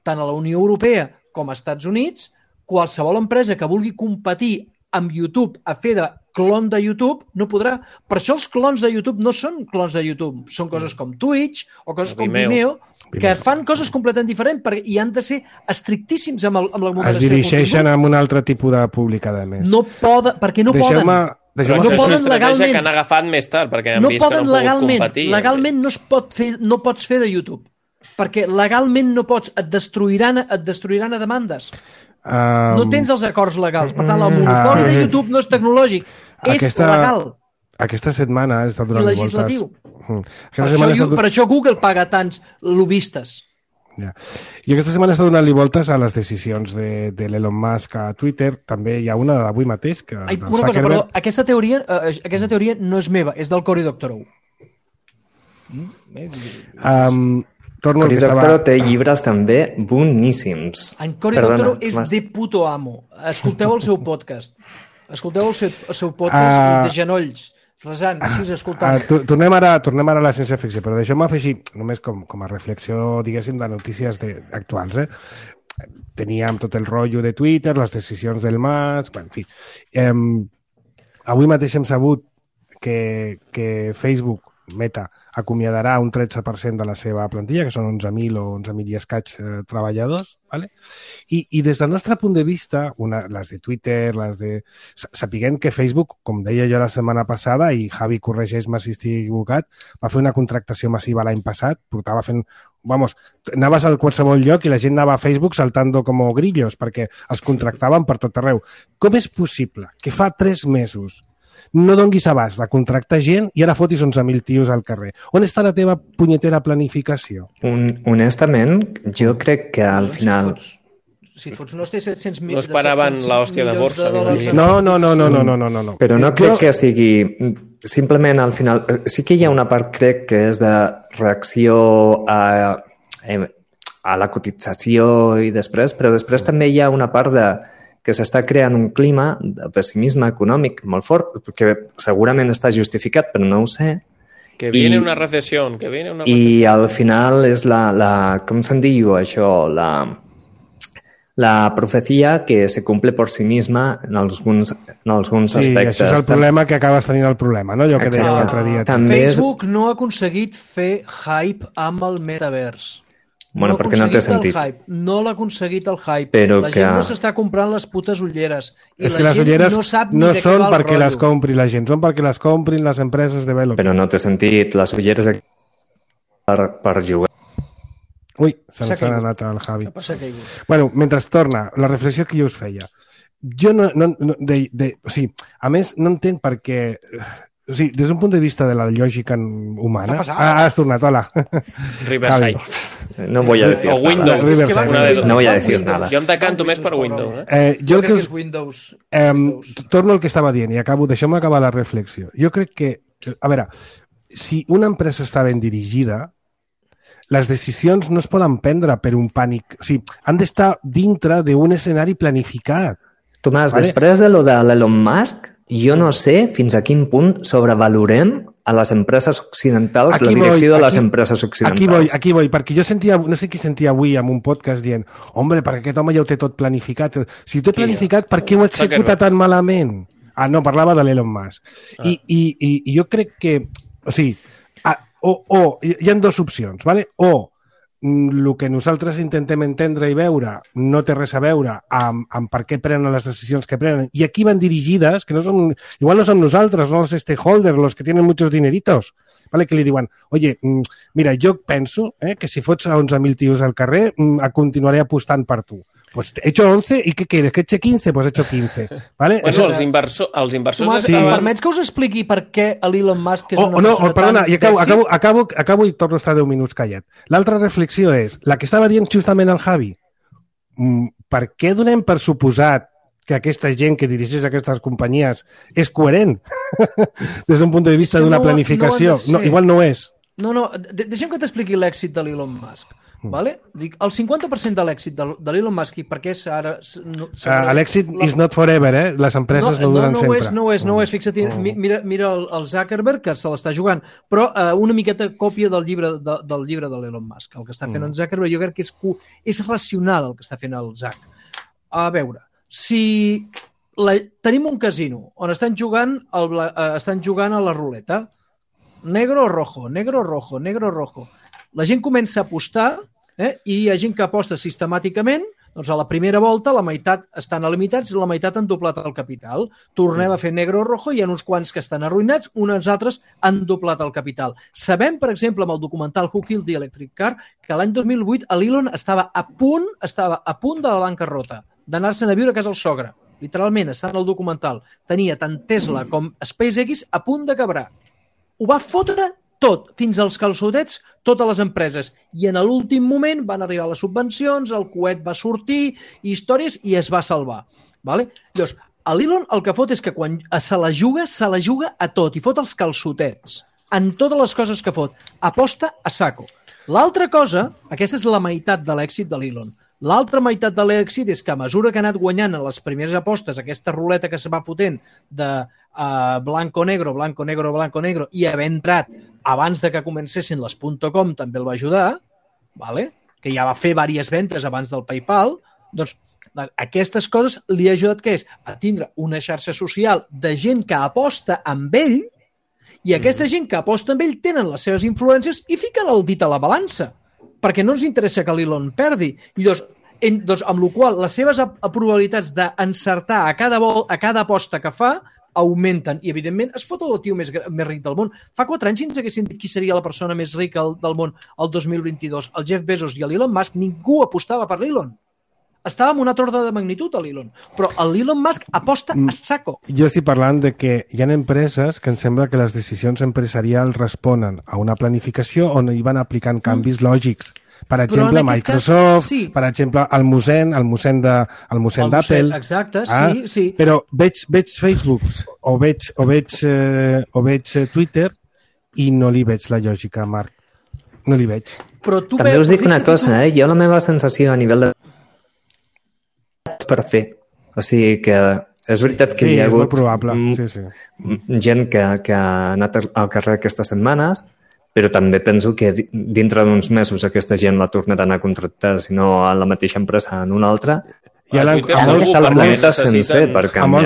tant a la Unió Europea com als Estats Units, qualsevol empresa que vulgui competir amb YouTube a fer de clon de YouTube no podrà. Per això els clons de YouTube no són clons de YouTube, són coses com Twitch o coses com Vimeo, que fan coses completament diferents i han de ser estrictíssims amb la moderació. Es dirigeixen a un altre tipus de públic, a més. No poden, perquè no poden. Però això és una estratègia que han agafat més tard, perquè han vist que no poden competir. Legalment no pots fer de YouTube, perquè legalment no pots, et destruiran a demandes. No tens els acords legals. Per tant, el monopoli de YouTube no és tecnològic, és legal. Aquesta setmana ha estat donant legislatiu. Per això Google paga tants lobbistes. Ja. I aquesta setmana està donant-li voltes a les decisions de l'Elon Musk a Twitter. També hi ha una d'avui mateix que... Una cosa, perdó, aquesta teoria no és meva, és del Cory Doctorow. Cory Doctorow té llibres també boníssims. En Cory Doctorow és de puto amo. Escolteu el seu podcast. Escolteu el seu podcast de genolls. Resant, així escoltant. Tornem ara a la ciència-ficció, però deixeu-me afegir, només com a reflexió, diguéssim, de notícies actuals. Teníem tot el rotllo de Twitter, les decisions del Musk, en fi. Avui mateix hem sabut que Facebook, Meta, acomiadarà un 13% de la seva plantilla, que són 11.000 o 11.000 i escaig treballadors, ¿vale? I des del nostre punt de vista, les de Twitter, sapiguem que Facebook, com deia jo la setmana passada, i Javi, corregeix-me si estic equivocat, va fer una contractació massiva l'any passat, portava fent... anaves a qualsevol lloc i la gent anava a Facebook saltando com grillos, perquè els contractaven per tot arreu. Com és possible que fa 3 mesos no donguis abast de contractar gent i ara fotis 11.000 tios al carrer? On està la teva punyetera planificació? Honestament, jo crec que al final... Si et fots no té 700.000... No esperaven l'hòstia de borsa. No. Però no crec que sigui... Simplement, al final... Sí que hi ha una part, crec, que és de reacció a la cotització i després, però després també hi ha una part que s'està creant un clima de pessimisme econòmic molt fort, que segurament està justificat, però no ho sé. Que viene una recessió. I al final és com se'n diu això, la profecia que se cumple por sí misma en alguns aspectes. Sí, això és el problema que acabes tenint el problema, no? Allò que deia l'altre dia. Facebook no ha aconseguit fer hype amb el metavers. Bueno, perquè no té sentit. No l'ha aconseguit el hype. Però la gent no s'està comprant les putes ulleres. I és que les ulleres no són perquè les compri la gent, són perquè les comprin les empreses de development. Però no té sentit. Les ulleres per jugar. Ui, se'ns ha anat al Javi. Bueno, mentre torna, la reflexió que jo us feia. Jo a més, no entenc per què... O sigui, des d'un punt de vista de la lògica humana... Has tornat, hola. Riverside. No voy a decir o Windows. No voy a decir nada. Jo em decanto més per Windows. Jo crec que és Windows. Torno al que estava dient i deixeu-me acabar la reflexió. Jo crec que... A veure, si una empresa està ben dirigida, les decisions no es poden prendre per un pànic. O sigui, han d'estar dintre d'un escenari planificat. Tomàs, després de lo de l'Elon Musk, jo no sé fins a quin punt sobrevalorem a les empreses occidentals, la direcció de les empreses occidentals. Aquí voy, perquè jo sentia, no sé qui sentia avui en un podcast dient, home, perquè aquest home ja ho té tot planificat. Si ho té planificat, per què ho executa tan malament? No, parlava de l'Elon Musk. I jo crec que, o sigui, hi ha dues opcions, ¿vale? O el que nosaltres intentem entendre i veure no té res a veure amb per què prenen les decisions que prenen i a qui van dirigides, que no som, igual no som nosaltres, no els stakeholders, los que tienen muchos dineritos, ¿vale? Que li diuen, oye, mira, jo penso que si fots a 11.000 tios al carrer, continuaré apostant per tu. Pues he hecho 11 y ¿qué quieres? ¿Que eche 15? Pues he hecho 15. ¿Vale? Bueno, els inversors Tomàs, estaven... permets que us expliqui per què l'Elon Musk és una persona perdona, i acabo i torno a estar 10 minuts callat. L'altra reflexió és, la que estava dient justament el Javi, per què donem per suposat que aquesta gent que dirigeix aquestes companyies és coherent des d'un punt de vista d'una planificació? No, igual no ho és. No, deixa'm que t'expliqui l'èxit de l'Elon Musk. Vale? Dic, el 50% de l'èxit de l'Elon Musk, i per què ara... L'èxit is not forever, Les empreses no duren sempre. No ho és. Fixa't, mira el Zuckerberg, que se l'està jugant, però una miqueta còpia del llibre de l'Elon Musk. El que està fent en Zuckerberg, jo crec que és racional el que està fent el Zuck. A veure, si tenim un casino on estan jugant a la ruleta, negro o rojo, negro o rojo, negro o rojo. La gent comença a apostar i hi ha gent que aposta sistemàticament, doncs a la primera volta la meitat estan limitats i la meitat han doblat el capital. Tornem a fer negre o rojo, hi ha uns quants que estan arruïnats, uns altres han doblat el capital. Sabem, per exemple, amb el documental Who Killed the Electric Car, que l'any 2008 l'Elon estava a punt de la bancarrota, d'anar-se'n a viure a casa el sogre. Literalment, està en el documental. Tenia tant Tesla com SpaceX a punt de quebrar. Ho va fotre tot, fins als calçotets, totes les empreses. I en l'últim moment van arribar les subvencions, el coet va sortir, històries, i es va salvar. Vale? Llavors, l'Elon el que fot és que quan se la juga a tot, i fot els calçotets en totes les coses que fot. Aposta a saco. L'altra cosa, aquesta és la meitat de l'èxit de l'Elon. L'altra meitat de l'èxit és que a mesura que ha anat guanyant en les primeres apostes, aquesta ruleta que se va fotent de blanco-negro, blanco-negro, blanco-negro, i haver entrat abans de que comencessin les .com també el va ajudar, vale? Que ja va fer diverses ventes abans del PayPal, doncs aquestes coses li ha ajudat que és a tindre una xarxa social de gent que aposta amb ell, i aquesta gent que aposta amb ell tenen les seves influències i fiquen el dit a la balança, perquè no ens interessa que l'Elon perdi. I doncs amb la qual les seves probabilitats d'encertar a cada aposta que fa augmenten i, evidentment, es fot el tio més ric del món. Fa 4 anys, si ens haguessin dit qui seria la persona més rica del món el 2022, el Jeff Bezos i l'Elon Musk, ningú apostava per l'Elon. Estava en una torda de magnitud, l'Elon. Però l'Elon Musk aposta a saco. Jo estic parlant de que hi ha empreses que em sembla que les decisions empresarials responen a una planificació on hi van aplicant canvis lògics. Per exemple, Microsoft, sí. Per exemple, el Musen d'Apple. Exacte, sí. Però veig Facebook o veig Twitter i no li veig la lògica, Marc. No li veig. També us dic una cosa, Jo la meva sensació a nivell de per fer. O sigui que és veritat que hi ha hagut gent que ha anat al carrer aquestes setmanes, però també penso que dintre d'uns mesos aquesta gent la tornaran a contractar, si no a la mateixa empresa en una altra. I a molts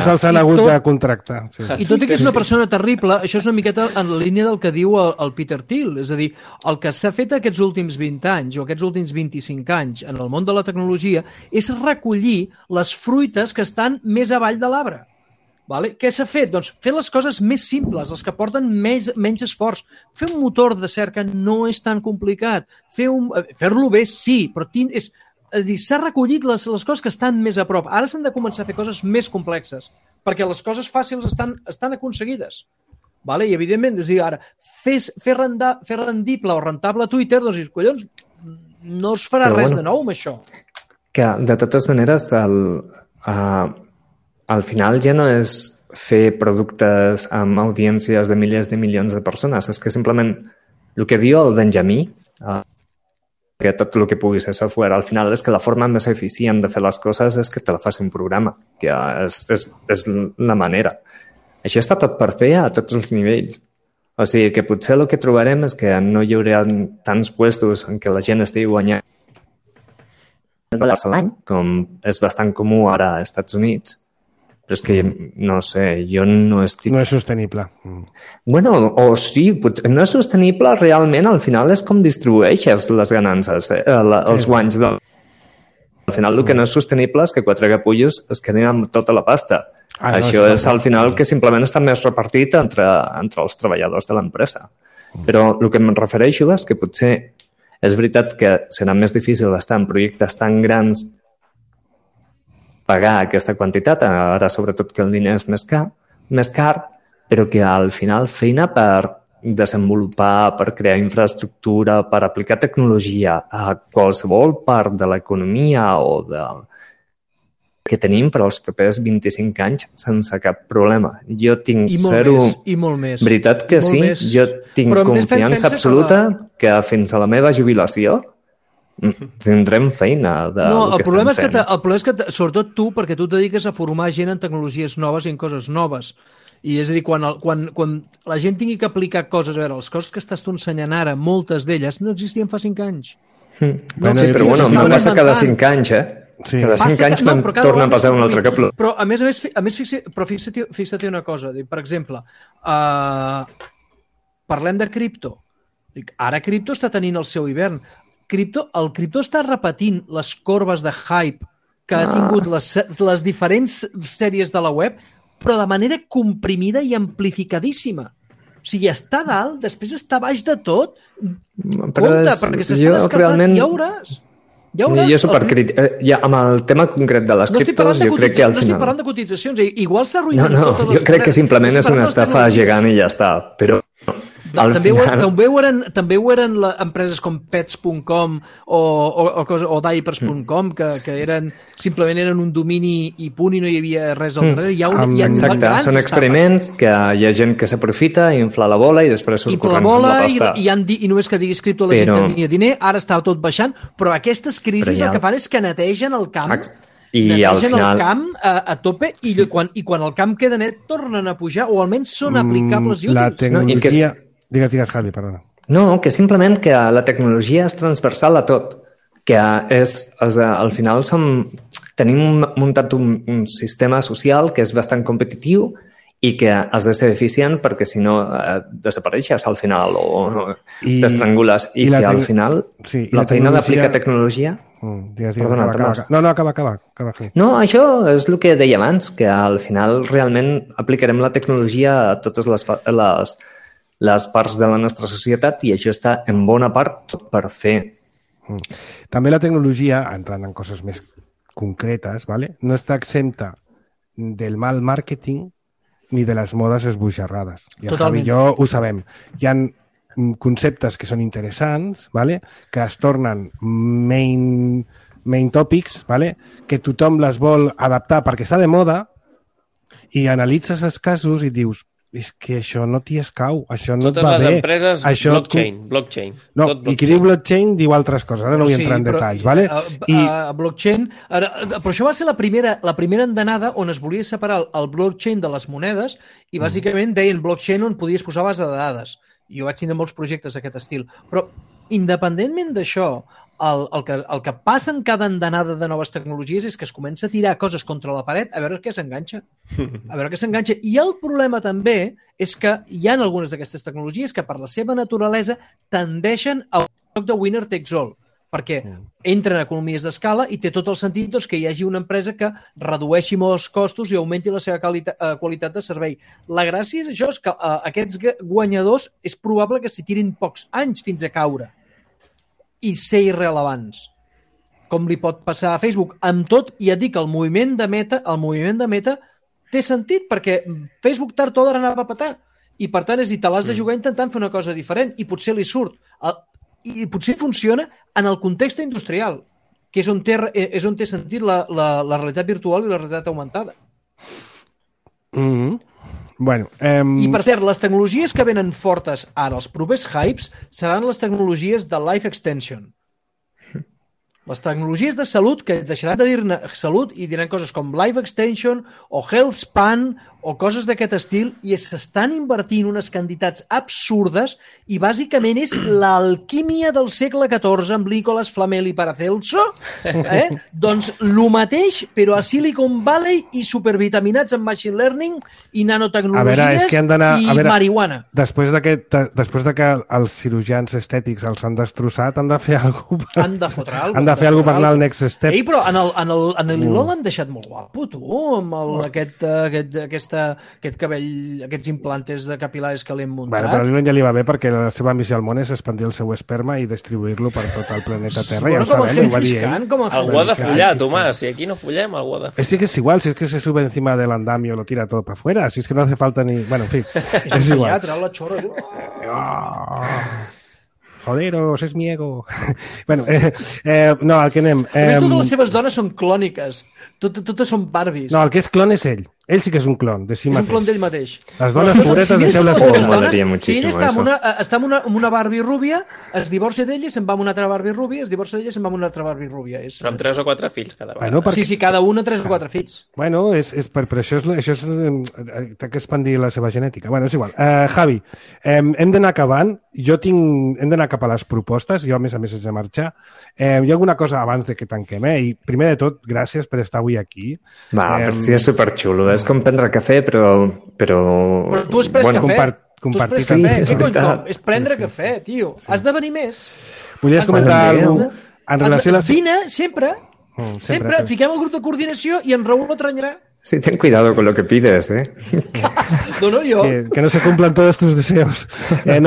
els han hagut de contractar. Sí. I tot i que és una persona terrible, això és una miqueta en la línia del que diu el Peter Thiel. És a dir, el que s'ha fet aquests últims 20 anys o aquests últims 25 anys en el món de la tecnologia és recollir les fruites que estan més avall de l'arbre. Vale? Què s'ha fet? Doncs fer les coses més simples, les que porten menys esforç. Fer un motor de cerca no és tan complicat. Fer-lo bé, sí, però s'ha recollit les coses que estan més a prop. Ara s'han de començar a fer coses més complexes, perquè les coses fàcils estan aconseguides. Vale? I, evidentment, ara, fer rendible o rentable Twitter, doncs, collons, no es farà res de nou amb això. Que, de totes maneres, al final ja no és fer productes amb audiències de milers de milions de persones, és que simplement el que diu el Benjamí, que tot el que pugui ser software, al final és que la forma més eficient de fer les coses és que te la faci un programa, que és la manera. Això està tot per fer a tots els nivells. O sigui que potser el que trobarem és que no hi haurà tants puestos en què la gent estigui guanyant $1 a l'any, com és bastant comú ara als Estats Units, Però és que, no sé, jo no estic... No és sostenible. Bueno, o sí, potser no és sostenible realment, al final és com distribueixes les ganances, els guanys. Al final el que no és sostenible és que 4 capullos es quedin amb tota la pasta. Això és al final que simplement està més repartit entre els treballadors de l'empresa. Però el que em refereixo és que potser és veritat que serà més difícil estar en projectes tan grans pagar aquesta quantitat, ara sobretot que el diner és més car, però que al final feina per desenvolupar, per crear infraestructura, per aplicar tecnologia a qualsevol part de l'economia o que tenim per als propers 25 anys sense cap problema. Jo tinc I molt més. Veritat que sí, jo tinc confiança absoluta que fins a la meva jubilació tindrem feina de el problema és que sobretot tu, perquè tu et dediques a formar gent en tecnologies noves i en coses noves. I és a dir, quan la gent tingui que aplicar coses, a veure, les coses que estàs tu ensenyant ara, moltes d'elles no existien fa 5 anys. Però no passa cada 5 anys, Sí. Cada 5 anys torna a passar un altre cap. Però a més fixa't una cosa. Per exemple, parlem de cripto. Ara cripto està tenint el seu hivern. El cripto està repetint les corbes de hype que ha tingut les diferents sèries de la web, però de manera comprimida i amplificadíssima. O sigui, està dalt, després està baix de tot. Compte, perquè s'està descartant, ja veuràs. Jo supercrític. Amb el tema concret de les criptos, jo crec que al final... No estic parlant de cotitzacions, igual s'ha arruïnat totes les... Jo crec que simplement és una estafa gegant i ja està, però... També ho eren empreses com pets.com o diapers.com que simplement eren un domini i punt i no hi havia res al darrere. Exacte, són experiments que hi ha gent que s'aprofita, infla la bola i després surt corrent amb la pasta. I només que diguis cripto la gent tenia diner, ara està tot baixant, però aquestes crisis el que fan és que netegen el camp. I al final... el camp a tope i quan el camp queda net tornen a pujar o almenys són aplicables i útils. La tecnologia... Digues, Javi, perdona. No, que simplement que la tecnologia és transversal a tot. Que al final tenim muntat un sistema social que és bastant competitiu i que has de ser eficient perquè si no desapareixes al final o t'estrangules. I que al final la feina d'aplicar tecnologia... Perdona. Acaba. No, això és el que deia abans, que al final realment aplicarem la tecnologia a totes les parts de la nostra societat i això està en bona part per fer. També la tecnologia, entrant en coses més concretes, no està exempta del mal màrqueting ni de les modes esbojarrades. I el Javi i jo ho sabem. Hi ha conceptes que són interessants, que es tornen main topics, que tothom les vol adaptar perquè està de moda i analitzes els casos i dius és que això no t'hi escau, això no et va bé. Totes les empreses, blockchain. No, i qui diu blockchain diu altres coses, ara no vull entrar en detalls. Blockchain, però això va ser la primera endenada on es volia separar el blockchain de les monedes i bàsicament deien blockchain on podies posar base de dades. Jo vaig tenir molts projectes d'aquest estil. Però, independentment d'això, el que passa en cada endenada de noves tecnologies és que es comença a tirar coses contra la paret a veure què s'enganxa. I el problema també és que hi ha algunes d'aquestes tecnologies que per la seva naturalesa tendeixen a un joc de winner takes all, perquè entren en economies d'escala i té tot el sentit que hi hagi una empresa que redueixi molts costos i augmenti la seva qualitat de servei. La gràcia és això, és que aquests guanyadors és probable que s'hi tirin pocs anys fins a caure i ser irrelevants, com li pot passar a Facebook. Amb tot, ja et dic, el moviment de Meta té sentit, perquè Facebook tard o d'ara anava a petar, i per tant, és dir, te l'has de jugar intentant fer una cosa diferent, i potser li surt, i potser funciona en el context industrial, que és on té sentit la realitat virtual i la realitat augmentada. I per cert, les tecnologies que venen fortes ara, els propers hypes, seran les tecnologies de life extension. Les tecnologies de salut, que deixaran de dir-ne salut i diran coses com life extension o health span o coses d'aquest estil i s'estan invertint unes quantitats absurdes i bàsicament és l'alquímia del segle XIV amb Nicolas Flamel i Paracelso, doncs el mateix però a Silicon Valley i supervitaminats en machine learning i nanotecnologies i marihuana. Després de que els cirurgians estètics els han destrossat, han de fer alguna cosa. Han de fotre alguna cosa. Han de fer alguna cosa per anar al next step. Ei, però en l'Iló l'han deixat molt guapo, tu, amb aquest cabell, aquests implantes de capilaris que l'hem muntat. Bueno, però a l'Ilon ja li va bé perquè la seva missió al món és expandir el seu esperma i distribuir-lo per tot el planeta Terra. Ja ho sabem, ho va dir ell. Algú ha de follar, Tomàs. Si aquí no follem, algú ha de follar. Sí que es igual, si es que se sube encima del andamio lo tira todo para afuera, si es que no hace falta ni... Bueno, en fin, es igual. Trau la xorra. Joderos, es mi ego. Bueno, no, al que anem... A més, totes les seves dones són clòniques. Totes són Barbies. No, el que és clon és ell. Ell sí que és un clon de si mateix. És un clon d'ell mateix. Les dones puretes, deixeu-les... Si ell està amb una Barbie rúbia, es divorcia d'ella i se'n va amb una altra Barbie rúbia, es divorcia d'ella i se'n va amb una altra Barbie rúbia. Però amb 3 o 4 fills cada vegada. Bueno, perquè... Sí, cada una 3 o 4 fills. Bueno, per això és té que expandir la seva genètica. Bueno, és igual. Javi, hem d'anar acabant. Hem d'anar cap a les propostes. Jo, a més haig de marxar. Hi ha alguna cosa abans de que tanquem, I primer de tot, gràcies per estar avui aquí. Per si és superxulo. És com prendre cafè, però... Però tu has pres cafè. Compartir cafè. És prendre cafè, tio. Has de venir més. Volies comentar alguna cosa? En relació a la... Vine, sempre. Sempre. Fiquem el grup de coordinació i en Raül lo tranyarà. Sí, ten cuidado con lo que pides, No, jo. Que no se cumplan todos tus deseos. Em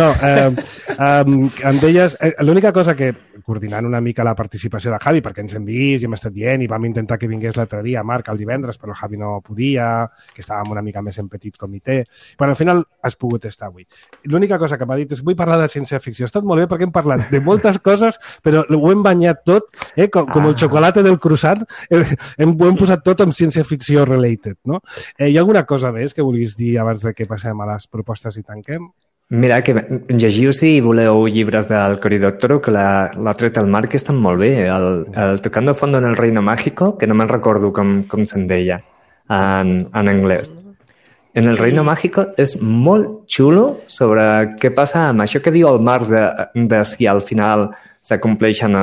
deies... L'única cosa que, coordinant una mica la participació de Javi, perquè ens hem vist i hem estat dient i vam intentar que vingués l'altre dia, Marc, el divendres, però el Javi no podia, que estàvem una mica més en petit comitè. Però al final has pogut estar avui. L'única cosa que m'ha dit és vull parlar de ciència-ficció. Ha estat molt bé perquè hem parlat de moltes coses, però ho hem banyat tot, com el xocolate del croissant, ho hem posat tot amb ciència-ficció related, no? Hi ha alguna cosa més que vulguis dir abans de que passem a les propostes i tanquem? Mira, que llegiu si voleu llibres del Cory Doctorow, que l'ha tret el Marc, estan molt bé. El Tocando Fondo en el Reino Mágico, que no me'n recordo com se'n deia en anglès. En el Reino Mágico és molt xulo sobre què passa amb això que diu el Marc de si al final s'acompleixen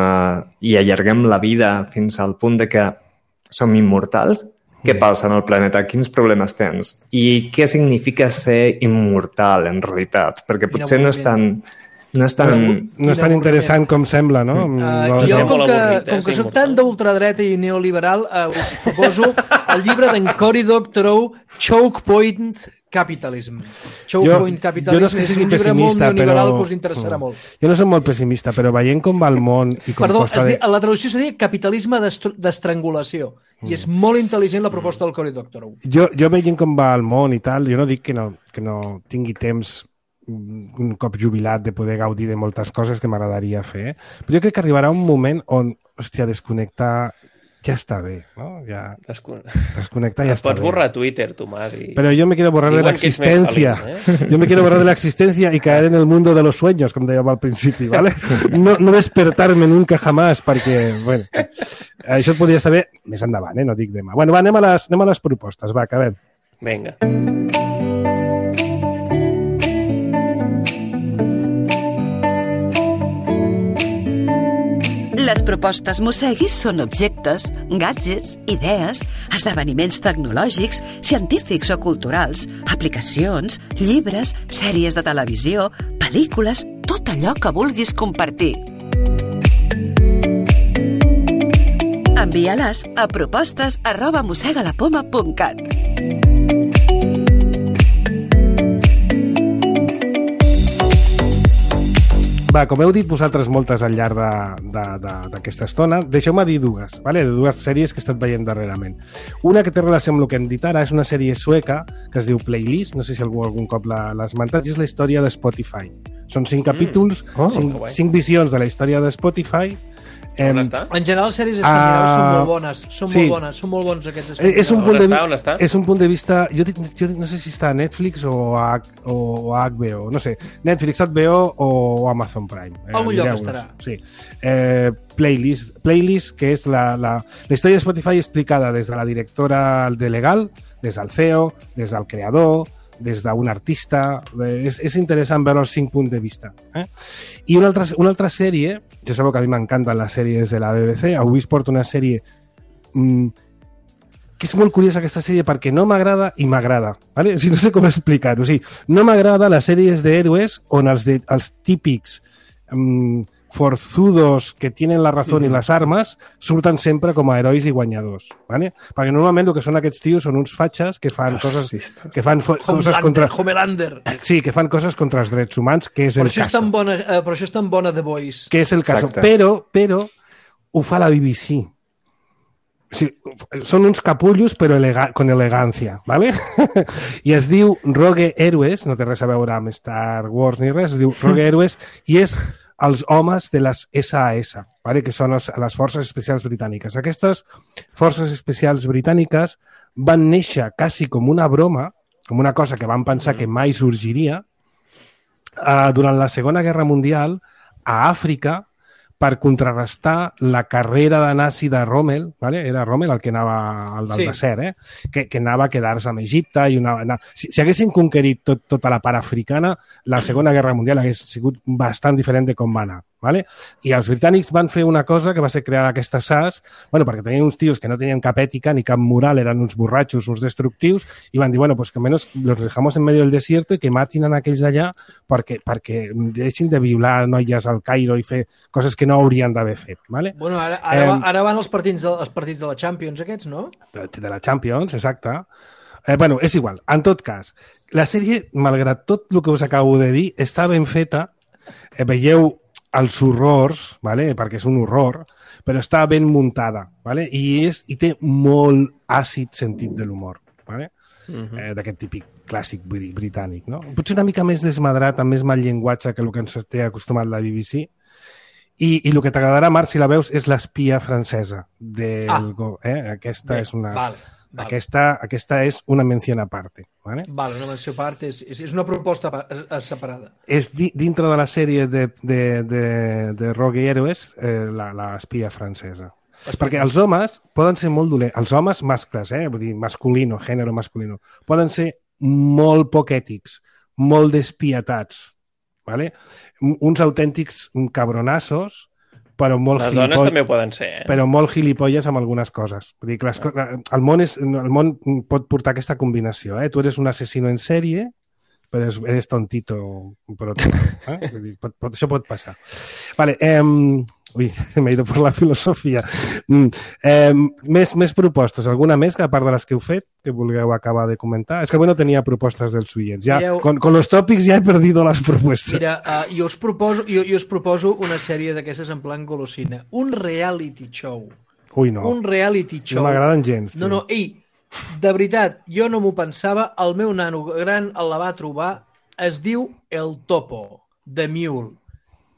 i allarguem la vida fins al punt de que som immortals. Què passa en el planeta? Quins problemes tens? I què significa ser immortal, en realitat? Perquè potser no és tan... No és tan interessant com sembla, no? Jo, com que soc tan d'ultradreta i neoliberal, us proposo el llibre d'en Cory Doctorow, Choke Point Capitalism. Choke Point Capitalism és un llibre molt neoliberal que us interessarà molt. Jo no soc molt pessimista, però veient com va el món i com costa... Perdó, la traducció seria capitalisme d'estrangulació. I és molt intel·ligent la proposta del Cory Doctorow. Jo veient com va el món i tal, jo no dic que no tingui temps un cop jubilat de poder gaudir de moltes coses que m'agradaria fer, però jo crec que arribarà un moment on, hòstia, desconnectar ja està bé, ¿no? Ja... Desconectar ja està bé. Pots borrar Twitter, Tomàs. Pero yo me quiero borrar de la existencia. Yo me quiero borrar de la existencia y caer en el mundo de los sueños, com dèiem al principi, ¿vale? No despertar-me nunca jamás, perquè, bueno, això podria estar bé més endavant, no dic demà. Bueno, va, anem a les propostes, va, acabem. Vinga. Les propostes Mosseguis són objectes, gadgets, idees, esdeveniments tecnològics, científics o culturals, aplicacions, llibres, sèries de televisió, pel·lícules, tot allò que vulguis compartir. Envia-les a propostes@mossegalapoma.cat. Va, com heu dit vosaltres moltes al llarg d'aquesta estona, deixeu-me dir dues, vale? De dues sèries que he estat veient darrerament. Una que té relació amb el que hem dit ara és una sèrie sueca que es diu Playlist, no sé si algun cop l'ha esmentat, i és la història de Spotify. Són 5 capítols, 5 visions de la història de Spotify, On està? En general, les sèries escandinaves són molt bones. Són molt bons aquests escandinaus. És un punt de vista... Jo no sé si està a Netflix o a HBO, no sé. Netflix, HBO o Amazon Prime. Algun lloc estarà. Sí. Playlist, que és la història de Spotify explicada des de la directora de Legal, des del CEO, des del creador, des d'un artista. És interessant veure els 5 punts de vista. I una altra sèrie, ja sabeu que a mi m'encanten les sèries de la BBC, avui es porta una sèrie que és molt curiosa, aquesta sèrie, perquè no m'agrada i m'agrada. ¿Vale? No sé com explicar-ho. O sigui, no m'agrada les sèries d'héroes on els típics forzudos que tienen la razón y las armas surten sempre com a herois i guanyadors, ¿vale? Perquè normalment el que són aquests tios són uns fatxes que fan coses contra... Homelander. Sí, que fan coses contra els drets humans, que és el cas. Per això és tan bona The Voice. Que és el cas. Però ho fa la BBC. Sí, són uns capullos però con elegancia, ¿vale? I es diu Rogue Heroes, no té res a veure amb Star Wars ni res, es diu Rogue Heroes i és els homes de les SAS, ¿vale? Que són les Forces Especials Britàniques. Aquestes Forces Especials Britàniques van néixer quasi com una broma, com una cosa que van pensar que mai sorgiria, durant la Segona Guerra Mundial a Àfrica, per contrarrestar la carrera de nazi de Rommel, ¿vale? Era Rommel el que anava al del desert, que anava a quedar-se amb Egipte. Si haguessin conquerit tota la part africana, la Segona Guerra Mundial hagués sigut bastant diferent de com va anar. ¿Vale? I els britànics van fer una cosa que va ser crear aquesta SAS, perquè tenien uns tios que no tenien cap ètica ni cap moral, eren uns borratxos, uns destructius, i van dir, pues que menos los dejamos en medio del desierto i que matin a aquells d'allà perquè deixin de violar noies al Cairo i fer coses que no haurien d'haver fet. ¿Vale? Bueno, ara van els partits de la Champions aquests, no? De la Champions, exacte. És igual. En tot cas, la sèrie, malgrat tot el que us acabo de dir, està ben feta. Veieu els horrors, ¿vale? Perquè és un horror, però està ben muntada, ¿vale? I té molt àcid sentit de l'humor, ¿vale? D'aquest típic clàssic britànic, no? Potser una mica més desmadrat, amb més mal llenguatge que el que ens té acostumat la BBC. I el que t'agradarà, Marc, si la veus, és l'espia francesa. Aquesta és una... Vale. Aquesta és una menció a part. ¿Vale? Una menció a part és una proposta separada. És dintre de la sèrie de Rogue Heroes l'espia francesa. Perquè els homes poden ser molt dolents. Els homes mascles, vull dir, masculino, gènere masculino, poden ser molt poc ètics, molt despietats. ¿Vale? Uns autèntics cabronassos, però molt les dones també poden ser, però molt gilipolles amb algunes coses. Vull dir que el món pot portar aquesta combinació. Tu eres un asesino en sèrie, però eres tontito per otro. Això pot passar. Vale, m'he ido por la filosofia. Més propostes. Alguna més, a part de les que heu fet, que vulgueu acabar de comentar? És que avui no tenia propostes dels oients. Con los tòpics ja he perdido les propostes. Mira, jo us proposo una sèrie d'aquestes en plan golosina. Un reality show. Ui, no. Un reality show. No m'agraden gens. No, de veritat, jo no m'ho pensava. El meu nano gran la va trobar. Es diu El Topo, The Mule,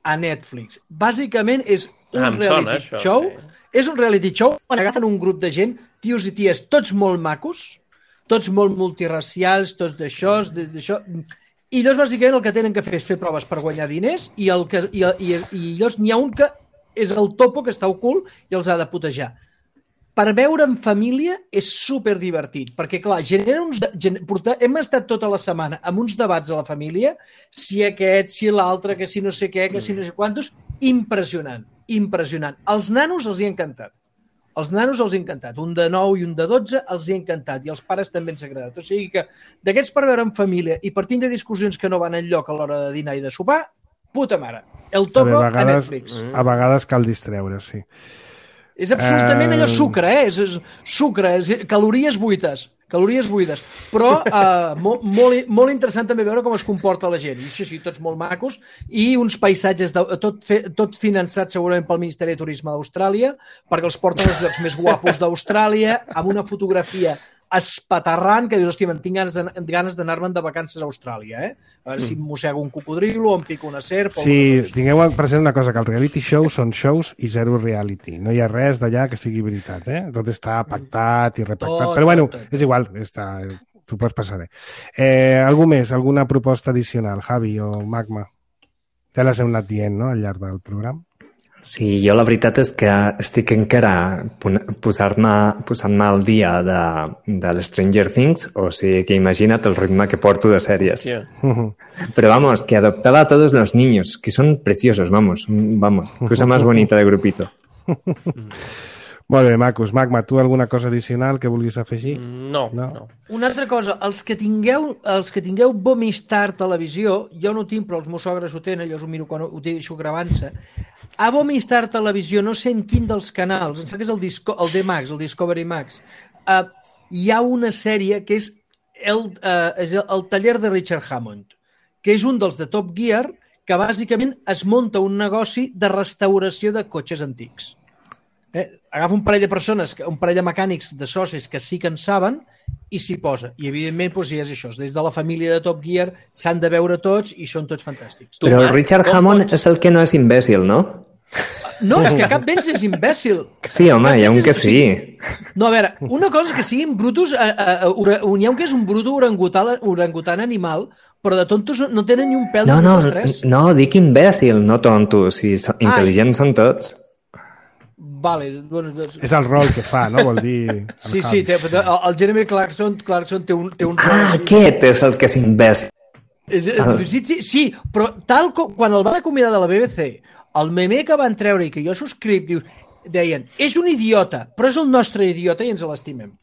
a Netflix. Bàsicament és un reality show. És un reality show on agafen un grup de gent, tios i ties, tots molt macos, tots molt multiracials, tots d'això. I llavors, bàsicament, el que tenen que fer és fer proves per guanyar diners i llavors n'hi ha un que és el topo que està ocult i els ha de putejar. Per veure en família és superdivertit, perquè, clar, hem estat tota la setmana amb uns debats a la família, si aquest, si l'altre, que si no sé què, que si no sé quantos, impressionant. Els nanos els hi ha encantat. Un de 9 i un de 12 els hi ha encantat, i els pares també ens ha agradat. O sigui que d'aquests per veure en família i partint de discussions que no van enlloc a l'hora de dinar i de sopar, puta mare. El Topo a Netflix. A vegades cal distreure, sí. És absolutament allò sucre, és sucre, calories buides, però molt interessant també veure com es comporta la gent. I sí, tots molt macos, i uns paisatges, tot finançat segurament pel Ministeri de Turisme d'Austràlia, perquè els porten als llocs més guapos d'Austràlia, amb una fotografia espaterrant, que dius, hòstia, me'n tinc ganes d'anar-me'n de vacances a Austràlia, A veure si em mossego un cocodrilo o em pico una serp... Sí, tingueu present una cosa, que els reality shows són shows i zero reality. No hi ha res d'allà que sigui veritat, Tot està pactat i repactat. Però bueno, és igual, t'ho pots passar bé. Algú més? Alguna proposta addicional, Javi o Magma? Ja les heu anat dient, no?, al llarg del programa. Sí, jo la veritat és que estic encara posant-me al dia de l'Stranger Things, o sigui que imagina't el ritme que porto de sèries. Yeah. Pero vamos, que adoptaba a todos los niños, que son preciosos, vamos, cosa más bonita de grupito. Molt bé, macos. Magma, tu alguna cosa addicional que vulguis afegir? No. Una altra cosa, els que tingueu Vomistar Televisió, jo no ho tinc, però els meus sogres ho tenen, jo us ho miro quan ho deixo gravant-se. A Vomistar Televisió, no sé en quin dels canals, em sembla que és el D-Max, el Discovery Max, hi ha una sèrie que és el taller de Richard Hammond, que és un dels de Top Gear, que bàsicament es munta un negoci de restauració de cotxes antics. Agafa un parell de persones, un parell de mecànics, de socis que sí que en saben i s'hi posa. I evidentment doncs, és això, des de la família de Top Gear s'han de veure tots i són tots fantàstics. Però el Richard Hammond és el que no és imbècil, no? No, és que cap d'ells és imbècil. Sí, home, hi ha un que sí. No, a veure, una cosa que siguin brutos, hi ha un que és un bruto orangutan animal, però de tontos no tenen ni un pèl de tres. No, dic imbècil, no tonto. Si intel·ligents són tots. Vale, bueno, és el rol que fa, no? Vol dir... Sí, el Jeremy Clarkson té un rol... Aquest és el que és imbècil. Sí, però tal com quan el van acomiadar de la BBC, el meme que van treure i que jo subscric, deien, és un idiota, però és el nostre idiota i ens l'estimem.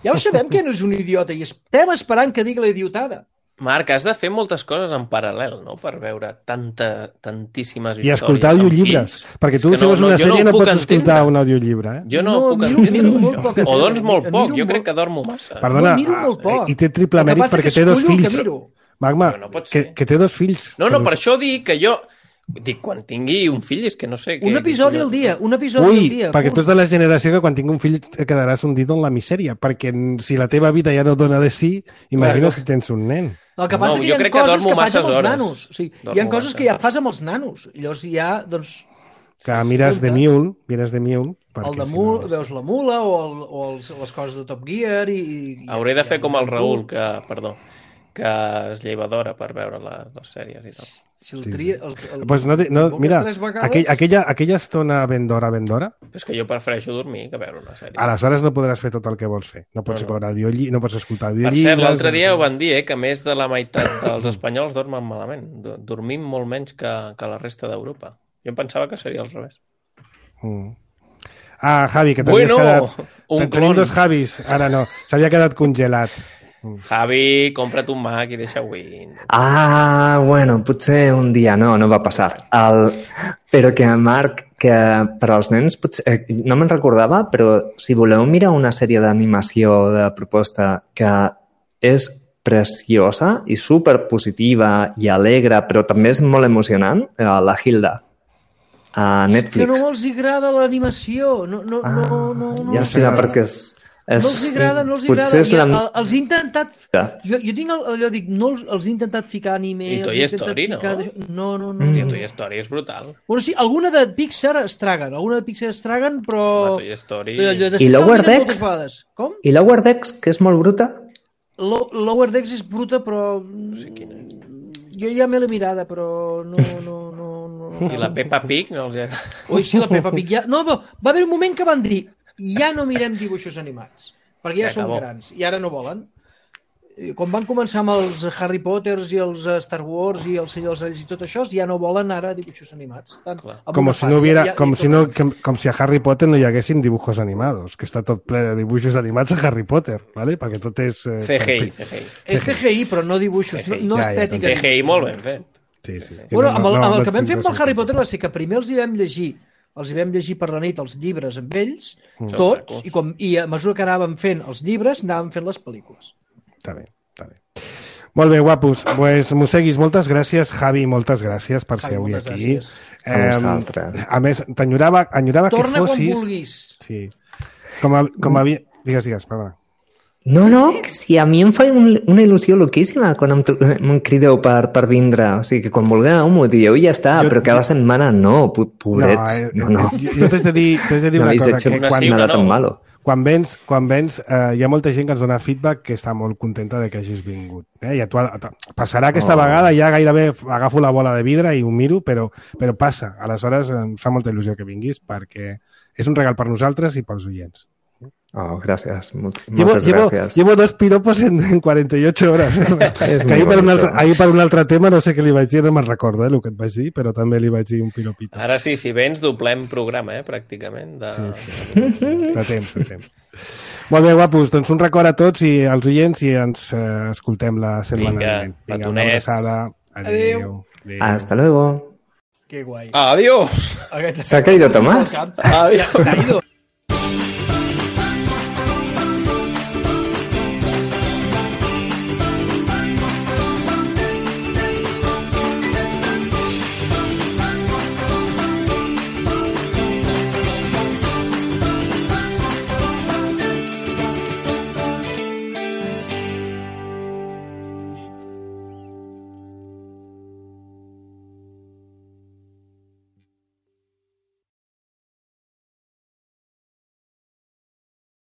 Ja ho sabem que no és un idiota i estem esperant que digui la idiotada. Marc, has de fer moltes coses en paral·lel, no?, per veure tantíssimes històries. I escoltar audiollibres, perquè tu, si veus una sèrie, no pots escoltar un audiollibre. Jo no puc entendre-ho. O doncs molt poc, jo crec que dormo massa. Perdona, i té triple mèrit perquè té dos fills. Magma, que té dos fills. No, per això dic que jo... Dic, quan tingui un fill, és que no sé... Un episodi al dia, perquè tu ets de la generació que quan tingui un fill et quedaràs hundido en la misèria, perquè si la teva vida ja no dona de sí, imagina si tens un nen. El que passa és que hi ha coses que fas amb els nanos. Hi ha coses que ja fas amb els nanos. Llavors ja, doncs... Que mires de Mule, el de Mule, veus la mula o les coses de Top Gear i... Hauré de fer com el Raül, que es lleva d'hora per veure les sèries i tot. Si el tria... Pues mira, aquella estona ben d'hora... És que jo prefereixo dormir que veure una sèrie. Aleshores no podràs fer tot el que vols fer. No pots no pots escoltar audiollibres... Per cert, l'altre dia ho van dir, que més de la meitat dels espanyols dormen malament. Dormim molt menys que la resta d'Europa. Jo em pensava que seria al revés. Javi, que t'havies quedat... Tenim dos Javis, ara no. S'havia quedat congelat. Javi, compra't un Mac i deixa Windows. Bueno, potser un dia no va passar. Però que, Marc, que per als nens, potser, no me'n recordava, però si voleu mirar una sèrie d'animació de proposta que és preciosa i superpositiva i alegre, però també és molt emocionant, la Hilda, a Netflix. Que no els agrada l'animació. Llàstima, perquè és... No els agrada. Els he intentat... Jo tinc allò, dic, els he intentat ficar anime... I Toy Story, no? No. Toy Story és brutal. Bueno, sí, alguna de Pixar es traguen, però... Toy Story... I Lower Decks? Com? I Lower Decks, que és molt bruta? Lower Decks és bruta, però... No sé quina és. Jo ja m'he la mirada, però no. I la Peppa Pig no els agrada? Ui, sí, la Peppa Pig ja... No, va haver un moment que van dir ja no mirem dibuixos animats, perquè ja són grans, i ara no volen. Quan van començar amb els Harry Potters i els Star Wars i els Senyor dels Anells i tot això, ja no volen ara dibuixos animats. Com si a Harry Potter no hi haguessin dibujos animados, que està tot ple de dibuixos animats a Harry Potter, ¿vale? Perquè tot és... CGI. És CGI, però no dibuixos, no estètica. CGI molt ben fet. Sí. Bueno, amb el que vam fer amb el Harry Potter va ser que primer els hi vam llegir per la nit els llibres amb ells, tots, i a mesura que anàvem fent els llibres, anàvem fent les pel·lícules. Està bé. Molt bé, guapos. Pues, Museguis, moltes gràcies. Javi, moltes gràcies per ser avui aquí. A més, enyorava que fossis... Torna quan vulguis. Sí. Com havia... Digues, perdona. No, sí, a mi em fa una il·lusió loquíssima quan em crideu per vindre. O sigui, que quan vulgueu m'ho dieu i ja està, però cada setmana no, pobrets. No. Jo t'haig de dir una cosa, que quan vens hi ha molta gent que ens dona feedback que està molt contenta de que hagis vingut. I passarà aquesta vegada, ja gairebé agafo la bola de vidre i ho miro, però passa. Aleshores em fa molta il·lusió que vinguis perquè és un regal per nosaltres i pels oients. Oh, gracias. Muchas gracias. Llevo 2 piropos en 48 horas. Que ahir per un altre tema, no sé què li vaig dir, no me'n recordo el que et vaig dir, però també li vaig dir un piropito. Ara sí, si vens, doblem programa, pràcticament. Sí. De temps. Molt bé, guapos, doncs un record a tots i als oients i ens escoltem la setmana vinent. Vinga, una abraçada. Adéu. Hasta luego. Qué guay. Adiós. ¿Se ha caído Tomás? Adiós. Se ha ido.